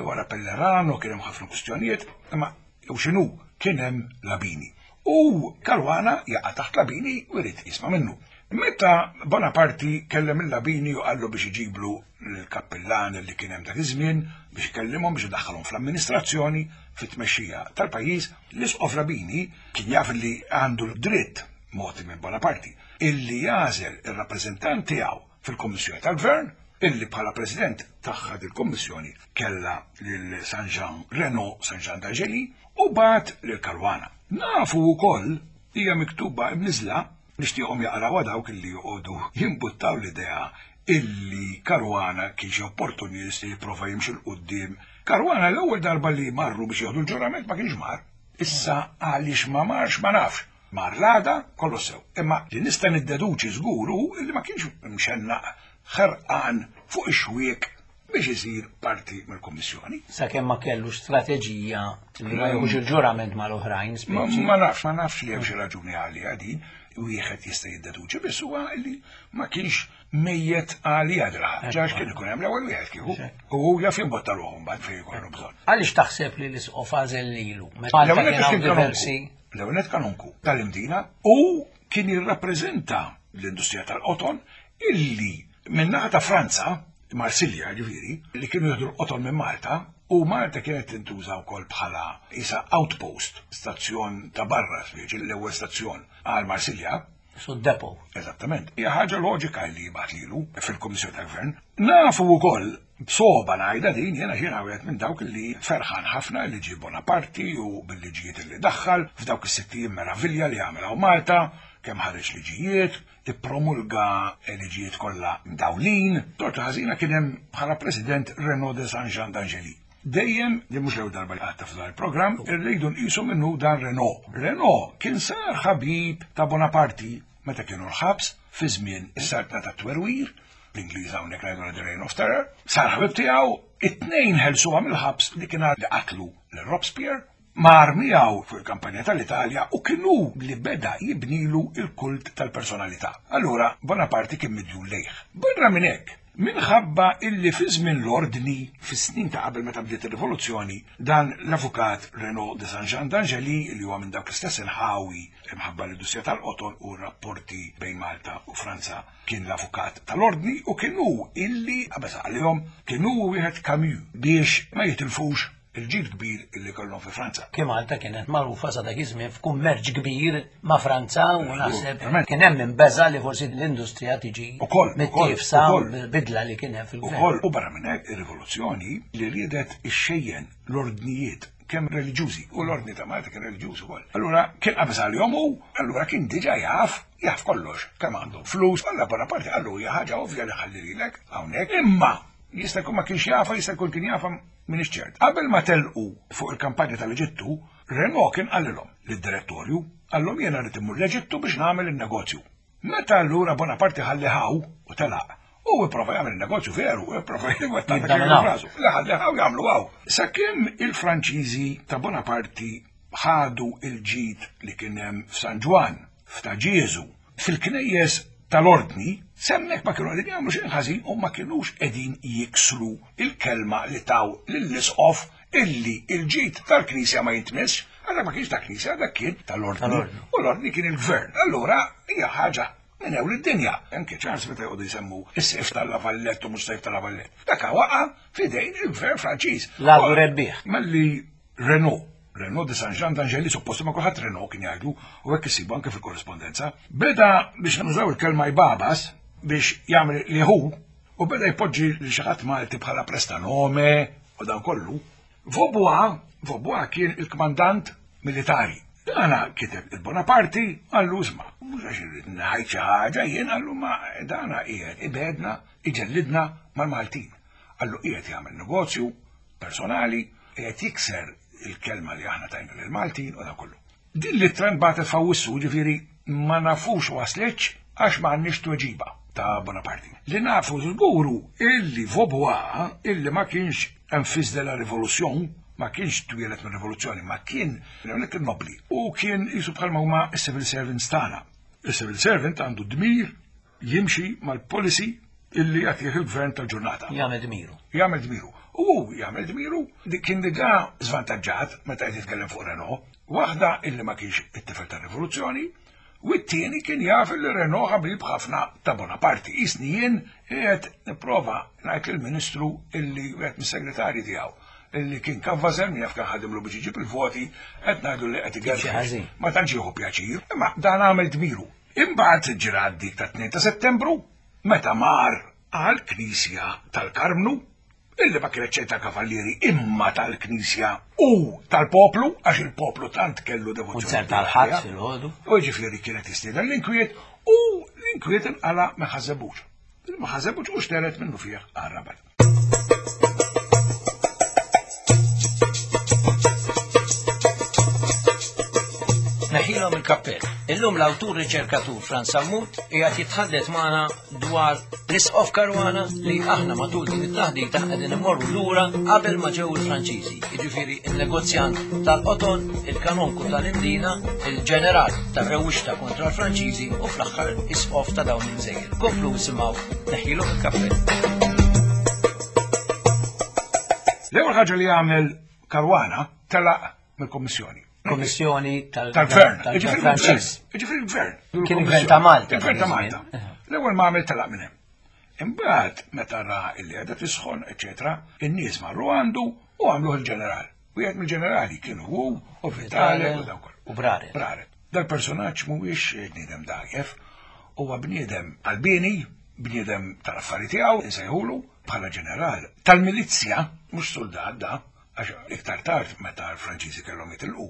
Wara Pellerano kien hemm ħafna kwistjonijiet, imma jew x'inhu kien hemm Labini. U Caruana jaqa' taħt Labini u jrid jisma' minnu. Meta Bonaparti kellem lil Labini u qallu biex iġiblu l-kappillan li kien hemm dak iż-żmien biex ikellimhom biex idaħħalhom fl-amministrazzjoni fit-tmexxija tal-pajjiż, l-Isqof Labini kien jaf li għandu l-dritt mogħti minn Bonaparti illi jagħżel ir-rappreżentant tiegħu fil-Kummissjoni tal-Gvern. illi bħala president tagħha dil-kummissjoni kellha lil San Jean Renaud San Jean d'Angeli u bagħat lil Caruana. Nafu wkoll hija miktuba imniżla nixtieqhom jaqrawha dawk illi joqogħdu jimbuttaw l-idea illi Caruana kien xi opportunist li jipprova jimxi 'l quddiem. Caruana l-ewwel darba li marru biex jieħdu l-ġurament ma kienx mar. Issa għaliex ma marx ma nafx. Mar l-għada kollox sew. Imma li nista' niddeduċi żgur hu li ma kienx mxennaq ħerqan fuq ix-xwiek biex isir parti mill-Kummissjoni. Sakemm ma kellux strateġija li ma jieħux il-ġurament mal-oħrajn speċi. Ma nafx, ma nafx li hemm xi raġuni għaliha din, wieħed jista' jiddeduċi biss huwa li ma kienx mejjet għaliha dra. Ġax kien ikun hemm l-ewwel wieħed kieku. U hu jaf jimbotta ruħu mbagħad fejn ikollu bżonn. Għaliex taħseb li l-isqof għażel lilu? Meta kien hawn diversi. L-ewwel nett kanonku tal-Imdina u kien jirrappreżenta l-industrija tal-qoton illi min-naħa ta' Franza, Marsilja ġifieri, li kienu jieħdu l-qoton minn Malta, u Malta kienet tintuża wkoll bħala isa outpost, stazzjon ta' barra, speċi l-ewwel stazzjon għal Marsilja. Su depo. Eżattament. Hija ħaġa loġika li jibgħat lilu fil-Kummissjoni tal-Gvern. Nafu wkoll b'sogħba ngħidha din jiena jiena wieħed minn dawk li ferħan ħafna li ġie Bonaparti u bil-liġijiet li daħħal f'dawk is-sitt meravilja li għamel hawn Malta, kemm ħareġ liġijiet, ippromulga liġijiet kollha mdawlin. Torta ħażina kien hemm bħala President Renaud de Saint-Jean d'Angély. Dejjem, din mhux l-ewwel darba li għadta f'dan il-programm, irridu nqisu minnu dan Renaud. Renaud kien sar ħabib ta' Bonaparti meta kienu l-ħabs fi żmien is-saltna tat-twerwir, l-Ingliż hawnhekk ngħidu the Reign of Terror, sar ħabib tiegħu, it-tnejn ħelsuha mill-ħabs li kien li qatlu lil Robespierre, mar miegħu fuq il-kampanja tal-Italja u kien hu li beda jibnilu il-kult tal-personalità. Allura Bonaparte kien midjun lejh. Barra minn hekk, minħabba illi fi żmien l-ordni, fis-snin ta' qabel meta bdiet ir-rivoluzzjoni, dan l-avukat Renaud de Saint-Jean d'Angély li huwa minn dawk l-istess inħawi imħabba l-industrija tal-qoton u r-rapporti bejn Malta u Franza kien l-avukat tal-ordni u kien hu illi qabeż għalihom kien hu wieħed Camus biex ma jitilfux il-ġid kbir illi kellhom fi Franza. Kien Malta kienet magħrufa sa dak iż-żmien f'kummerċ kbir ma' Franza u naħseb kien hemm inbeża li forsi l-industrija tiġi mittiefsa bidla li kien hemm fil-gvern. Ukoll u barra minn hekk ir-rivoluzzjoni li riedet ixxejjen l-ordnijiet kemm reliġjużi u l-ordni ta' Malta kien reliġjuż ukoll. Allura kien qabeż għalihom u allura kien diġà jaf jaf kollox kemm għandhom flus, alla Bonaparte qallu hija ħaġa ovvja li ħalli lilek hawnhekk. Imma jista' jkun ma kienx jafa, jista' jkun kien jafa M'iniex ċert. Qabel ma telqu fuq il-kampanja tal-Eġittu, Renaud kien qalilhom lid-direttorju, qallhom jiena rrid immur l-Eġittu biex nagħmel in-negozju. Meta allura Bonaparte ħalli hawn u telaq, u ipprova jagħmel in-negozju veru, ipprova jwettaq dak li rasu. Li ħalli hawn jagħmlu hawn. Sakemm il-Franċiżi ta' Bonaparte ħadu il-ġid li kien hemm f'San Ġwann, f'ta' Ġieżu, fil-knejjes tal-ordni, s'hemmhekk ma kienu qegħdin jagħmlu xejn ħażin u ma kinux qegħdin jiksru il-kelma li taw lill-isqof illi il-ġid tal-Knisja ma jintmissx, għax ma kienx ta' Knisja, dak kien tal-ordni. U l-ordni kien il-gvern. Allura hija ħaġa minn ewl id-dinja. Anke Charles meta joqogħdu jsemmu is-sejf tal-Lavallett u mhux sejf tal-Lavallett. Dak waqa' f'idejn il-gvern Franċiż. L-għadu rebbieħ. Malli Renaud, Renaud de Saint-Jean d'Angély, suppost ma kulħadd Renaud kien jgħidu, u hekk issibu anke fil-korrispondenza, beda biex nużaw il-kelma jbabas biex jagħmel li hu u beda jpoġġi li xi ħadd Malti bħala prestanome u dan kollu. Vaubois, Vaubois kien il-kmandant militari. Dana kiteb il-Bonaparti għallu isma' mhux għax irrid ngħid xi ħaġa jien għallu ma dana qiegħed ibedna iġellidna mal-Maltin. Għallu qiegħed jagħmel negozju personali qiegħed jikser il-kelma li aħna tajna lill-Maltin u dan kollu. Din l-ittra nbagħtet f'Awwissu, ġifieri ma nafux waslitx għax ma għandniex tweġiba ta' Bonaparte. Li nafu żguru illi Vaubois, illi ma kienx un fils de la révolution, ma kienx twieled minn rivoluzzjoni, ma kien kien nobli u kien jisu bħalma huma s-civil servants tagħna. Il-civil servant għandu dmir jimxi mal-policy illi jagħtih il-gvern tal-ġurnata. Jagħmel dmiru. Jagħmel dmiru. U hu jagħmel dmiru dik kien diġà żvantaġġat meta qed jitkellem fuq Renault. Waħda illi ma kienx it-tifel tar-rivoluzzjoni, u t-tieni kien jaf li Renault ħabib ħafna ta' Bonaparte. Isni jien qiegħed nipprova ngħid lill-Ministru illi wieħed mis-segretarji tiegħu illi kien kavvażer min jaf kien ħadimlu biex iġib il-voti qed ngħidu li qed igerfex. Ma tantx jieħu pjaċir, imma dan għamel dmiru. Imbagħad ġrat dik ta' 2 ta' Settembru meta mar għal Knisja tal-Karmnu, illi ma kienet xejn tal-Kavallieri imma tal-Knisja u tal-poplu, għax il-poplu tant kellu devozzjoni. U tal-ħadd filgħodu. U ġifieri kienet jistieden l-inkwiet u l-inkwiet inqala' minn Ħaż-Żebbuġ. Ma Ħaż-Żebbuġ u xteret minnu fih għar-Rabat. Neħilhom il-kappell. Illum l-awtur riċerkatur Frans Sammut qiegħed jitħaddet magħna dwar l-Isqof Caruana li aħna matul din it-taħdita qegħdin immorru lura qabel ma ġew il-Franċiżi, jiġifieri il-negozjant tal-qoton, il-kanonku tal-Imdina, il-ġeneral tar-rewwixta kontra l-Franċiżi u fl-aħħar isqof ta' dawn il-gżejjer. Komplu isimgħu neħilhom il-kappell. L-ewwel ħaġa li għamel Caruana telaq mill-Kommissjoni. Kommissjoni tal-Gvern. Ġifieri Ġifieri l-Gvern. Kien il-Gvern ta' Malta. Il-Gvern ta' Malta. L-ewwel ma għamel telaq minn hemm. Imbagħad meta ra illi qiegħda tisħon, eċetera, in-nies marru għandu u għamluh il-ġeneral. Wieħed mill-ġenerali kien hu u Vitale u dawk. U Braret. Braret. Dal-personaġġ mhuwiex bniedem dgħajjef, huwa bniedem qalbieni, bniedem tal-affari tiegħu, insejħulu bħala ġeneral tal-milizzja, mhux suldat da, għax iktar tard meta l-Franċiżi kellhom jitilqu,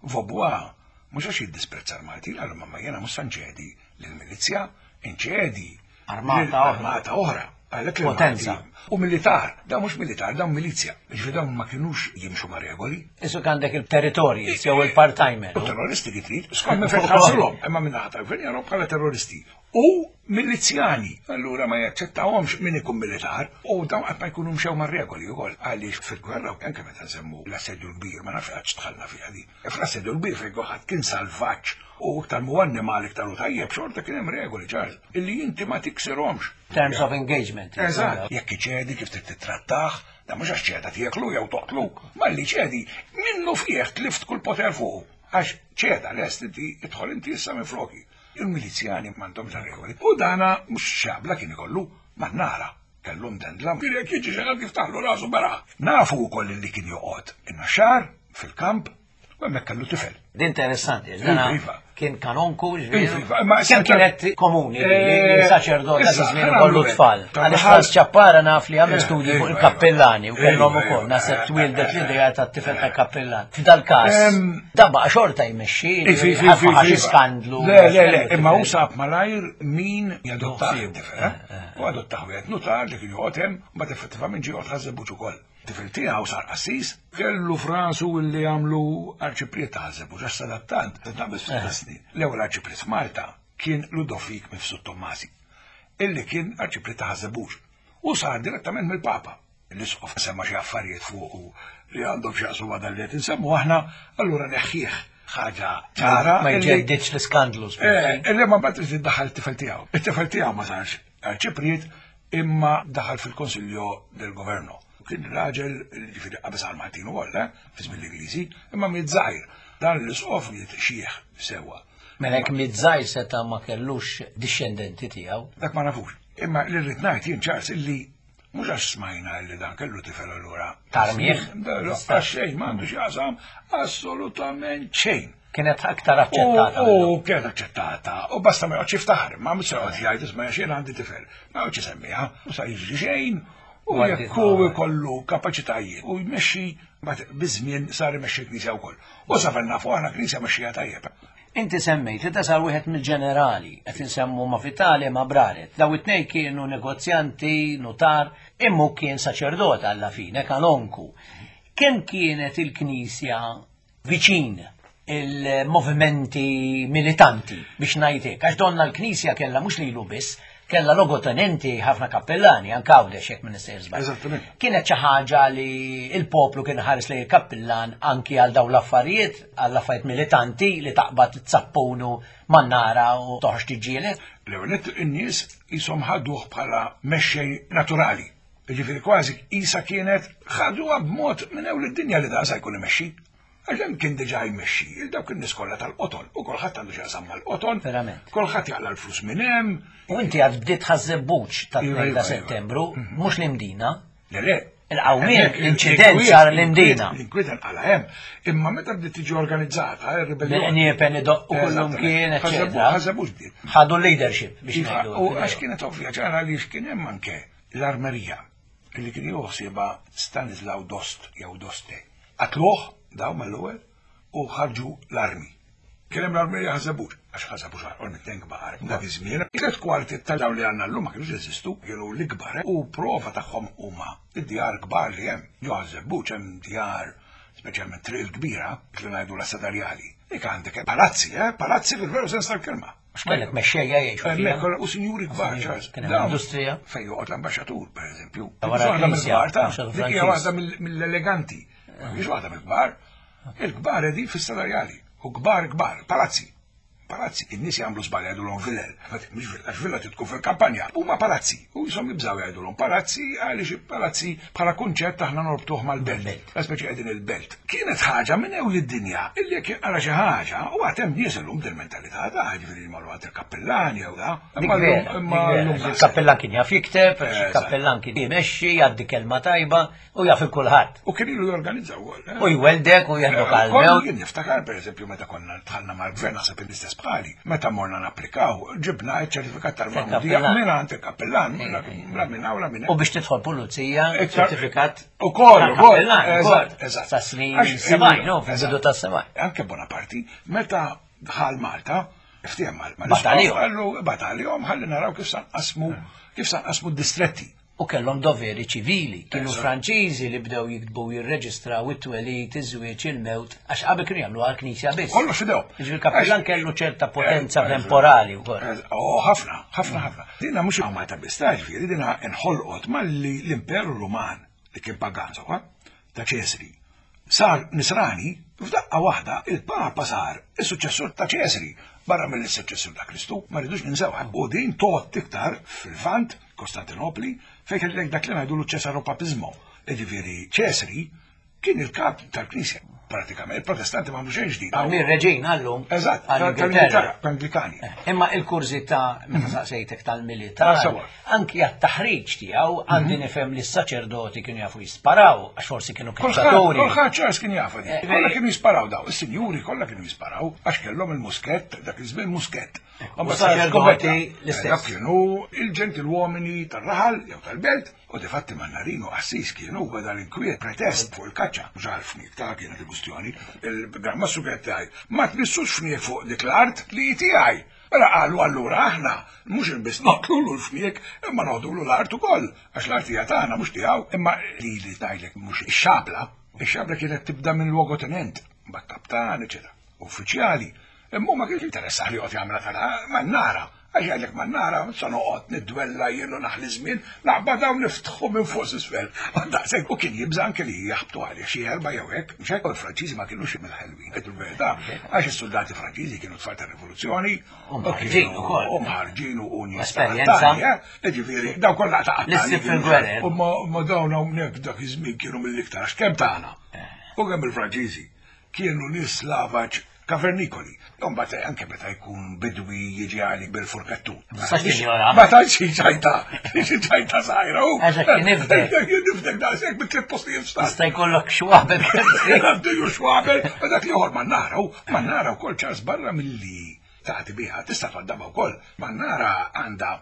Vaubois mhux għax jiddisprezza l-Maltin, qalhom imma jiena mhux se nċedi lill-milizzja, inċedi Armata oħra. Armata oħra. Għalhekk Potenza. U militar, dawn mhux militar, dawn milizja. Ġifieri dawn ma kinux jimxu ma' regoli. Isu għandek il-territorji, jew il-part-timer. U terroristi li trid, skont minn fejn tħarsilhom, imma minn naħa tal-gvern jaraw bħala terroristi. U milizjani, allura ma jaċċettawhomx min ikun militar, u dawn qatt ma jkunu mxew ma' regoli wkoll. Għaliex fil-gwerra, anke meta nsemmu l-assedju l-kbir, ma nafx qatt dħalna fiha di. Fl-assedju l-kbir fejn kulħadd kien salvaġġ u iktar mhu annimal iktar hu tajjeb, xorta kien hemm regoli ċar illi inti ma tiksirhomx. Terms of engagement. Eżatt, jekk iċedi kif trid tittrattah, da mhux għax ċeda tieklu jew toqtlu, malli ċedi, minnu fih tlift kull poter fuqu. Għax ċeda lest inti idħol inti issa minn floki. Il-milizjani m'għandhomx regoli. U dana mhux xabla kien ikollu, ma nara. Kellu mdendla, kien jekk jiġi xi ħadd jiftaħlu rasu beraħ. Nafu wkoll li kien joqgħod in-Naxxar fil-kamp u hemmhekk kellu tifel. Din interessanti, għax dana Iva, iva. kien kanonku, Iva, iva, imma Kemm kienet komuni li Eh, saċerdot ta' issa, żmien ħana ikollu nagħmlu tfal. hekk. Għaliex Frans Ċappara naf li għamel Eh, studji fuq iva, il-kappellani u iva, kellhom iva, ukoll iva, naħseb eh, twildet eh, l-idea tat-tifel ta' kappellan. F'dal każ, da baqa' xorta jmexxi, Iva, iva, ħafna iva, ħax iva. skandlu. Le, le, le, imma hu sab malajr min jadottah Ħsieb. it-tifel, eh? U adottah wieħed nutar li kien joqgħod hemm, mbagħad effettivament ġie joqgħod Ħaż-Żebbuġ ukoll. Tifel tiegħu sar qassis, kellu f'rasu li jagħmlu arċipriet ta' Ħaż-Żebbuġ għax sadattant, qed naqbeż ftit tas-snin. L-ewwel arċipriet f'Malta kien Ludovik Mifsud Tommasi, illi kien arċipriet ta' Ħaż-Żebbuġ u sar direttament mill-Papa. L-isqof semma xi affarijiet fuqu li għandhom x'jaqsmu ma' dan li qed insemmu aħna, allura neħħih ħaġa ċara. Ma jġeddidx l-iskandlu. Eh, illi ma mbagħad irid iddaħħal it-tifel tiegħu. It-tifel tiegħu ma sarx arċipriet imma daħal fil-Konsiljo del Governo. Kien raġel ġifieri qabeż għal Maltin ukoll, eh, fi żmien l-Ingliżi, imma miet żgħir. Dan l-isqof miet xieħ sewwa. Mela jekk miet żgħir seta' ma kellux dixxendenti tiegħu. Dak ma nafux. Imma li rrid ngħid jien Charles illi mhux għax smajna illi dan kellu tifel allura. Tarmih? Għax xejn m'għandu x'jaqsam assolutament xejn. Kienet aktar aċċettata. U kienet aċċettata. U basta ma joqgħodx jiftaħar, ma mhux se joqgħod jgħid isma' xejn għandi tifel. Ma joqgħodx isemmiha, u sa jiġri xejn. U jekk hu jkollu kapaċitajiet u jmexxi mbagħad biż-żmien sar imexxi l-Knisja wkoll. U sa fejn nafu aħna Knisja mexxija tajjeb. Inti semmejt li da sar wieħed mill-ġenerali, qed insemmu ma' Vitale ma' Braret. Daw it-tnejn kienu negozjanti, nutar, imma hu kien saċerdot alla fine, kanonku. Kemm kienet il-Knisja viċin il-movimenti militanti, biex ngħid hekk, għax donna l-Knisja kellha mhux lilu biss, kellha logotenenti ħafna kappellani, anke Għawdex jekk ma nistejjer żball. Eżattament. Kienet xi ħaġa li l-poplu kien ħares lejn il-kappillan anki għal dawn l-affarijiet, għall affarijiet militanti li taqbad tsappunu man-nara u toħroġ tiġġieled. L-ewwel nett in-nies qishom ħaduh bħala mexxej naturali. Jiġifieri kważi qisha kienet ħaduha b'mod minn ewl id-dinja li dan sa jkun imexxi. Għax hemm kien diġà jmexxi il dawk in-nies kollha tal-qoton u kulħadd għandu x'jaqsam mal-qoton. Verament. Kulħadd jaqla' l-flus minn hemm. U inti għad bdiet Ħaż-Żebbuġ ta' Iva, 2 iva, ta' iva. Settembru, mhux l-Imdina. Le, le, Il-qawmien, l-inċident sar l-Imdina. L-inkwiet nqala hemm. Imma meta bdiet tiġi organizzata ir-ribellion. Bil-qniepen idoqqu kullum kien, eċċetera. Ħażebux bdiet. Ħadu l-leadership biex iva, ngħidu. U għax kienet ovvja ċara li kien hemm anke l-armerija li kien jieħu Stanislaw Dost jew Doste. Qatluh daw mal-ewwel u ħarġu l-armi. Kien hemm l-armerija Ħaż-Żebbuġ, għax Ħaż-Żebbuġ għarqol mit-tnejn kbar. Dak iż-żmien, tliet kwarti ta' dawn li għandna llum ma kinux jeżistu, kienu l-ikbar u prova tagħhom huma d-djar kbar li hemm. Ġo Ħaż-Żebbuġ hemm djar, speċjalment Triq il-Kbira, dik li ngħidulha Sadarjali. Dik għandek palazzi, eh, palazzi fil-veru sens tal-kelma. Għax kellek mexxejja jgħixu fiha. Hemmhekk u sinjuri kbar, Charles. Kien hemm industrija. Fejn joqgħod l-ambaxxatur, pereżempju. Wara l-knisja. Dik hija waħda mill-eleganti. Mhix waħda mill-kbar. Il-kbar qegħdin fis-salarjali. U kbar kbar, palazzi. Palazzi, in-nies jagħmlu żball jgħidulhom villel. Mhux villa, għax villa tkun fil-kampanja. Huma palazzi. U jisom jibżgħu jgħidulhom palazzi għaliex palazzi bħala kunċett aħna norbtuh mal-belt. La speċi qegħdin il-belt. Kienet ħaġa minn ewl id-dinja illi jekk jinqara xi ħaġa u għad hemm nies illum din mentalità ta' ġifieri jmorru għand il-kappillan jew da. Il-kappillan kien jaf jikteb, il-kappillan kien jmexxi, jgħaddi kelma tajba. U jaf il-kulħadd. U kien ilu jorganizza wkoll. Eh? U jweldek u jeħdok għal mewt. Jien niftakar pereżempju meta konna dħalna mal-gvern naħseb l-istess bħali, meta morna napplikaw, ġibna ċ-ċertifikat tal-magħmudija minn għand il-kappellan, la minn hawn la minn U biex tidħol pulizija, ċertifikat. Ukoll, ukoll, eżatt, eżatt. Sa snin sebgħin, no, fil-bidu ta' sebgħin. Anke Bonaparte, meta dħal Malta, ftiehem mal-Bataljon. Bataljon, ħalli naraw kif sanqasmu kif sanqasmu d-distretti. U kellhom doveri ċivili. Kienu Franċiżi li bdew jiktbu u jirreġistraw it-twelid, iż-żwieġ, il-mewt, għax qabel kienu jagħmluha għall-Knisja biss. Kollox f'idejhom. Jiġifieri l-kappillan kellu ċerta potenza temporali wkoll. Oh, ħafna, ħafna, ħafna. Dina mhux hawn Malta biss, ta' ġifieri dina inħolqot malli l-Imperu Ruman li kien pagan sewwa, ta' Ċesri, sar nisrani, f'daqqa waħda il-Papa sar is-suċċessur ta' Ċesri, barra mill-suċċessur ta' Kristu, ma rridux ninsewha. U din tgħodd iktar fil-Lvant, Kostantinopli, fejn kellek dak li ngħidulu ċesaropapiżmo. Jiġifieri Ċesri kien il-kap tal-Knisja pratikament, il-Protestanti ma xejn ġdid. Għamil reġin għallum. Eżatt, tal-Ingilterra, Anglikani. Eh, imma il-kurżità meta saqsejtek tal-militar, ah, anki għat-taħriġ tiegħu għandi mhm. nifhem li s-saċerdoti kienu jafu jisparaw, għax forsi kienu kaċċaturi. Kulħadd ċars kien jafu di. Eh, kollha kienu jisparaw daw, is-sinjuri kollha kienu jisparaw għax kellhom il-muskett, dak iż-żmien muskett. U saċerdoti l-istess. Dak kienu il-ġentilwomini tar-raħal jew tal-belt u difatti Mannarino qassis kienu beda l-inkwiet pretest fuq il-kaċċa. Mhux għal fniek ta' kienet il-kustjoni. Il-Gran Mastru kienet tgħid, ma tmissux fniek fuq dik l-art li hi tiegħi. Mela qalu allura aħna mhux biss noqtlulu l-fniek imma noħdulu l-art ukoll għax l-art hija tagħna mhux tiegħu. Imma lili tgħidlek mhux ix-xabla, ix-xabla kienet tibda minn luogotenent, mbagħad kaptan, eċetera, uffiċjali. Imma hu ma kienx interessah li joqgħod jagħmilha ta' mannara, għax jgħidlek mannara sa noqgħod niddwella jien u naħli żmien, naqbad hawn niftħu minn fuq s'isfel. Daqshekk u kien jibża' anke li jaħbtu għalih xi erba' jew hekk, mhux hekk? U l-Franċiżi ma kinux mill-ħelwin, ngħidu l-verità, għax is-suldati Franċiżi kienu tfal tar-rivoluzzjoni. U mħarġin ukoll. U mħarġin u nies. Esperjenza. Eh? Jiġifieri, dawn kollha ta' L-issib fil-gwerer. U ma dawn hawnhekk dak iż-żmien kienu mill-iktar għax kemm tagħna. Eh. U kemm il-Franċiżi kienu nies lavaġ Kavernikoli. Imbagħad anke meta jkun bidwi jiġi għalik bil-furkettu. Ma tantx hi ċajta, xi ċajta żgħira. Eżatt, kien nifdek. Kien nifdek daqshekk bi tliet postijiet f'stat. Jista' jkollok xwabel. Għandu xwabel, ma dak l-ieħor ma nara, ma nara wkoll ċars barra milli tagħti biha, tista' twaddabha wkoll. Ma nara għandha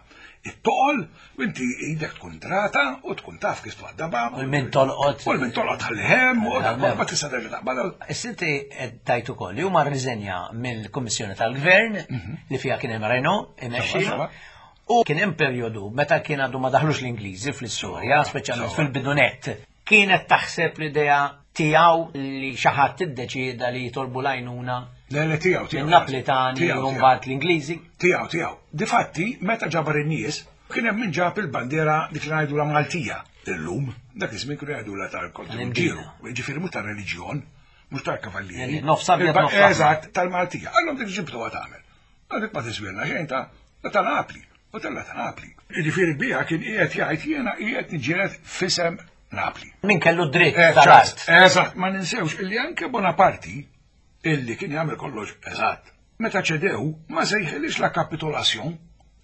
it-toqol, u inti idek tkun drata u tkun taf kif twaddabha. U l-min tolqot. U l-min tolqot ħallihem, u ma tista' terġa' taqbadha. Issa inti qed tgħid ukoll li huma rriżenja mill-Kummissjoni tal-Gvern mhm. li fiha kien hemm Renault imexxi. U kien hemm perjodu meta kien għadu ma daħlux l-Ingliżi fl-istorja, speċjalment fil-bidunet. Kienet taħseb l-idea tiegħu li xi ħadd iddeċieda li jitolbu l-għajnuna Le, le, tiegħu, tiegħu. Naplitani u mbagħad l-Ingliżi. Tiegħu, tiegħu. Difatti, meta ġabar in-nies, kien hemm min ġab il-bandiera dik li ngħidulha Maltija. Illum, dak iż-żmien kienu jgħidulha tal-Kontinġiru, jiġifieri mhux tar-reliġjon, mhux tal-kavallieri. Nofs abjad nofs. Eżatt, tal-Maltija. Għallhom dik ġibtuha tagħmel. Dik ma tiswilna xejn ta' ta' Napli, u tella ta' Napli. Jiġifieri biha kien qiegħed jgħid jiena qiegħed niġġieled f'isem Napli. Min kellu dritt eh, tal-art. Eżatt, ma ninsewx illi anke Bonaparti illi kien jagħmel kollox eżatt. Meta ċedew ma sejħilix la kapitolazzjon.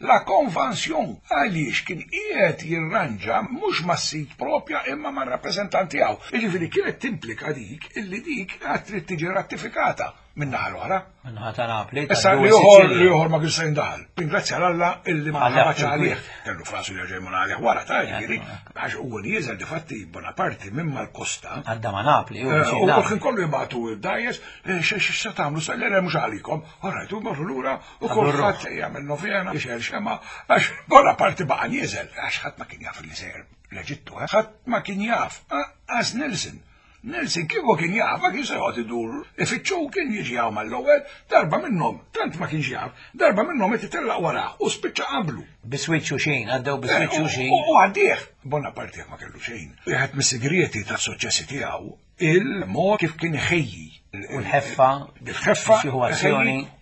La Convention għaliex kien qiegħed jirranġa mhux mas-sid propja imma mar-rappreżentant tiegħu. Jiġifieri kienet timplika dik illi dik għad trid tiġi rattifikata min-naħa l-oħra. Min-naħa ta' Napli. Issa li ieħor li ieħor ma kienx se jindaħal. Ringrazzja l-Alla illi ma ħabatx għalih. Kellu frasu li ġej għalih wara ta' ġifieri għax huwa nieżel difatti Bonaparte minn mal-kosta. Għadda ma' Napli. U kien kollu jibgħatu d-dajes x'se tagħmlu sa le mhux għalikom. Orajt u morru lura u kulħadd jagħmel novena jixgħel xema għax Bonaparte baqa' nieżel għax ħadd ma kien jaf li sejjer l-Eġittu, eh? ħadd ma kien jaf, għaż Nelson. Nelson kieku kien jaf, ma kien se joqgħod idur ifittxu kien jiġi hawn mal-ewwel, darba minnhom, tant ma kienx jaf, darba minnhom qed itellaq warah u spiċċa qablu. Biswiċċ u xejn, għaddew biswiċċ u eh, xejn. U għaddih. Bonaparte ma kellu xejn. Wieħed mis-sigrieti tas-suċċessi tiegħu il-mod kif kien iħejji. U l-ħeffa. Il-ħeffa.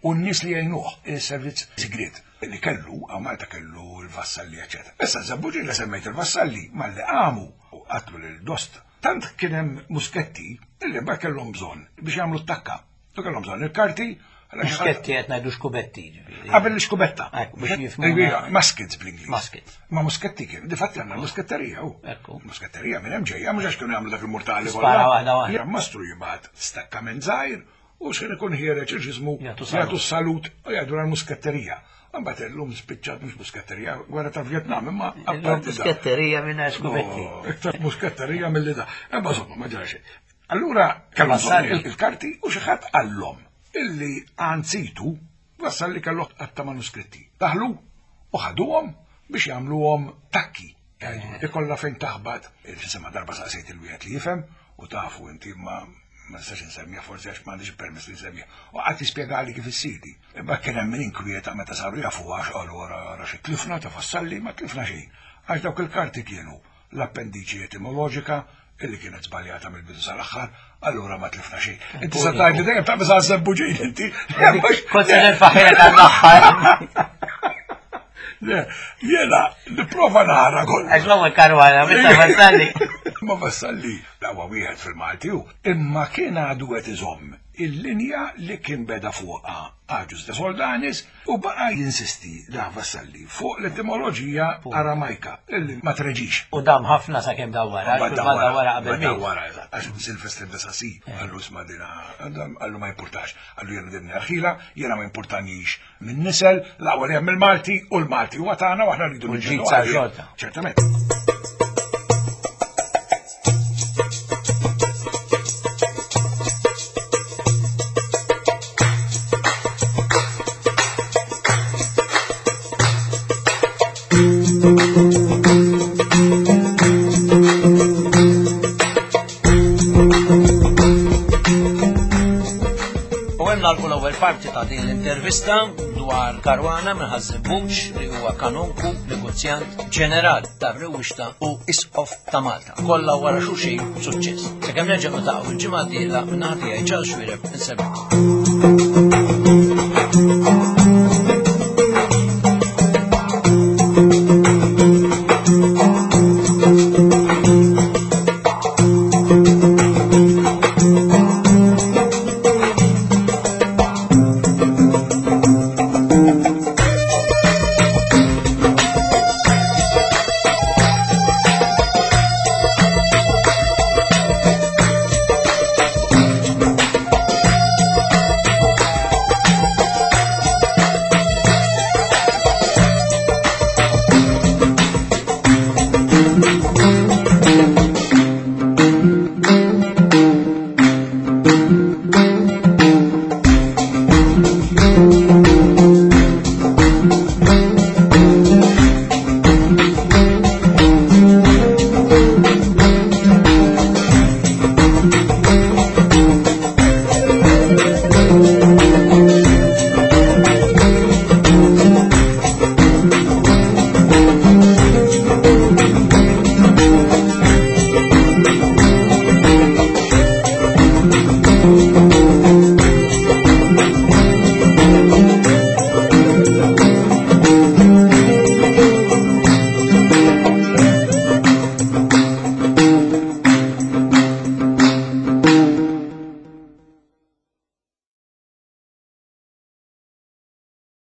U n-nies li jgħinuh il-servizz sigriet li kellu, għaw Malta kellu l-vassalli, eccetera. Issa Żebbuġin li semmejt il-vassalli malli qamu u qatlu lil Dost Tant kien hemm musketti illi mbagħad kellhom bżonn biex jagħmlu t-takka. U kellhom bżonn il-karti. Musketti qed ngħidu xkubetti ġifieri. Qabel l-xkubetta. Biex jifhmu. Muskets bl-Ingliż. Muskets. Ma musketti kien, difatti għandna musketterija hu. Ekku. Musketterija minn hemm ġejja mhux għax kienu jagħmlu dak il-murtali kollha. Waħda waħda. Mastru jibgħat stakkament żgħir u xejn ikun ħiereġ il-ġismu jagħtu salut u jgħidu l-musketterija. Imbagħad illum spiċċat mhux musketterija, gwerra ta' Vjetnam, imma apparti Musketterija minn xkubetti. Oh, iktar musketterija milli da. Imma insomma ma ġara xejn. Allura kellhom il-karti u xi ħadd qallhom illi anzitu wassal li kellu għatta manuskritti. Daħlu u ħaduhom biex jagħmluhom takki. Ikolla fejn taħbat, il-sema darba saqsejt il-wieħed li jifhem u tafu inti ma ma nistax insemmija forsi għax m'għandix permess li nsemmija. U qatt jispjegali kif issir Imma kien hemm min inkwieta meta saru jafu għax qalu wara ara xi tlifna ta' Vassalli ma tlifna xejn. Għax dawk il-karti kienu l-appendiċi etimoloġika illi kienet żbaljata mill-bidu sal-aħħar, allura ma tlifna xejn. Inti se tgħid li dejjem taqbeż għal żebbuġin inti. Kont se nerfaħilek għall-aħħar. Le, jiena nipprova nara kollha. Għax l-ewwel karwana, meta Vassalli. Ma Vassalli, dawa wieħed fil-Malti hu, imma kien għadu qed iżomm il-linja li kien beda fuqha Agius de Soldanis u baqa' jinsisti da Vassalli fuq l-etimoloġija Aramajka illi ma treġix. U dam ħafna sakemm dawwara, dawwara qabel miet. Dawwara, eżatt, għax Silvestre de Sacy qallu isma' dina, qallu ma jimpurtax, qallu jiena din ħila, jiena ma jimpurtanix minn nisel, l-aqwa li hemm il-Malti u l-Malti huwa tagħna u aħna rridu niġġieldu għalih. Ċertament. U hemm nagħlqu l-ewwel parti ta' din l-intervista dwar Karwana minn Ħaż-Żebbuġ li huwa kanonku, negozjant, ġeneral tar-Rewwixta u Isqof ta' Malta. Kollha wara xulxin b'suċċess. Sakemm nerġa' niltaqgħu il-ġimgħa d-dieħla minn naħa tiegħi Charles Xuereb insellmilkom.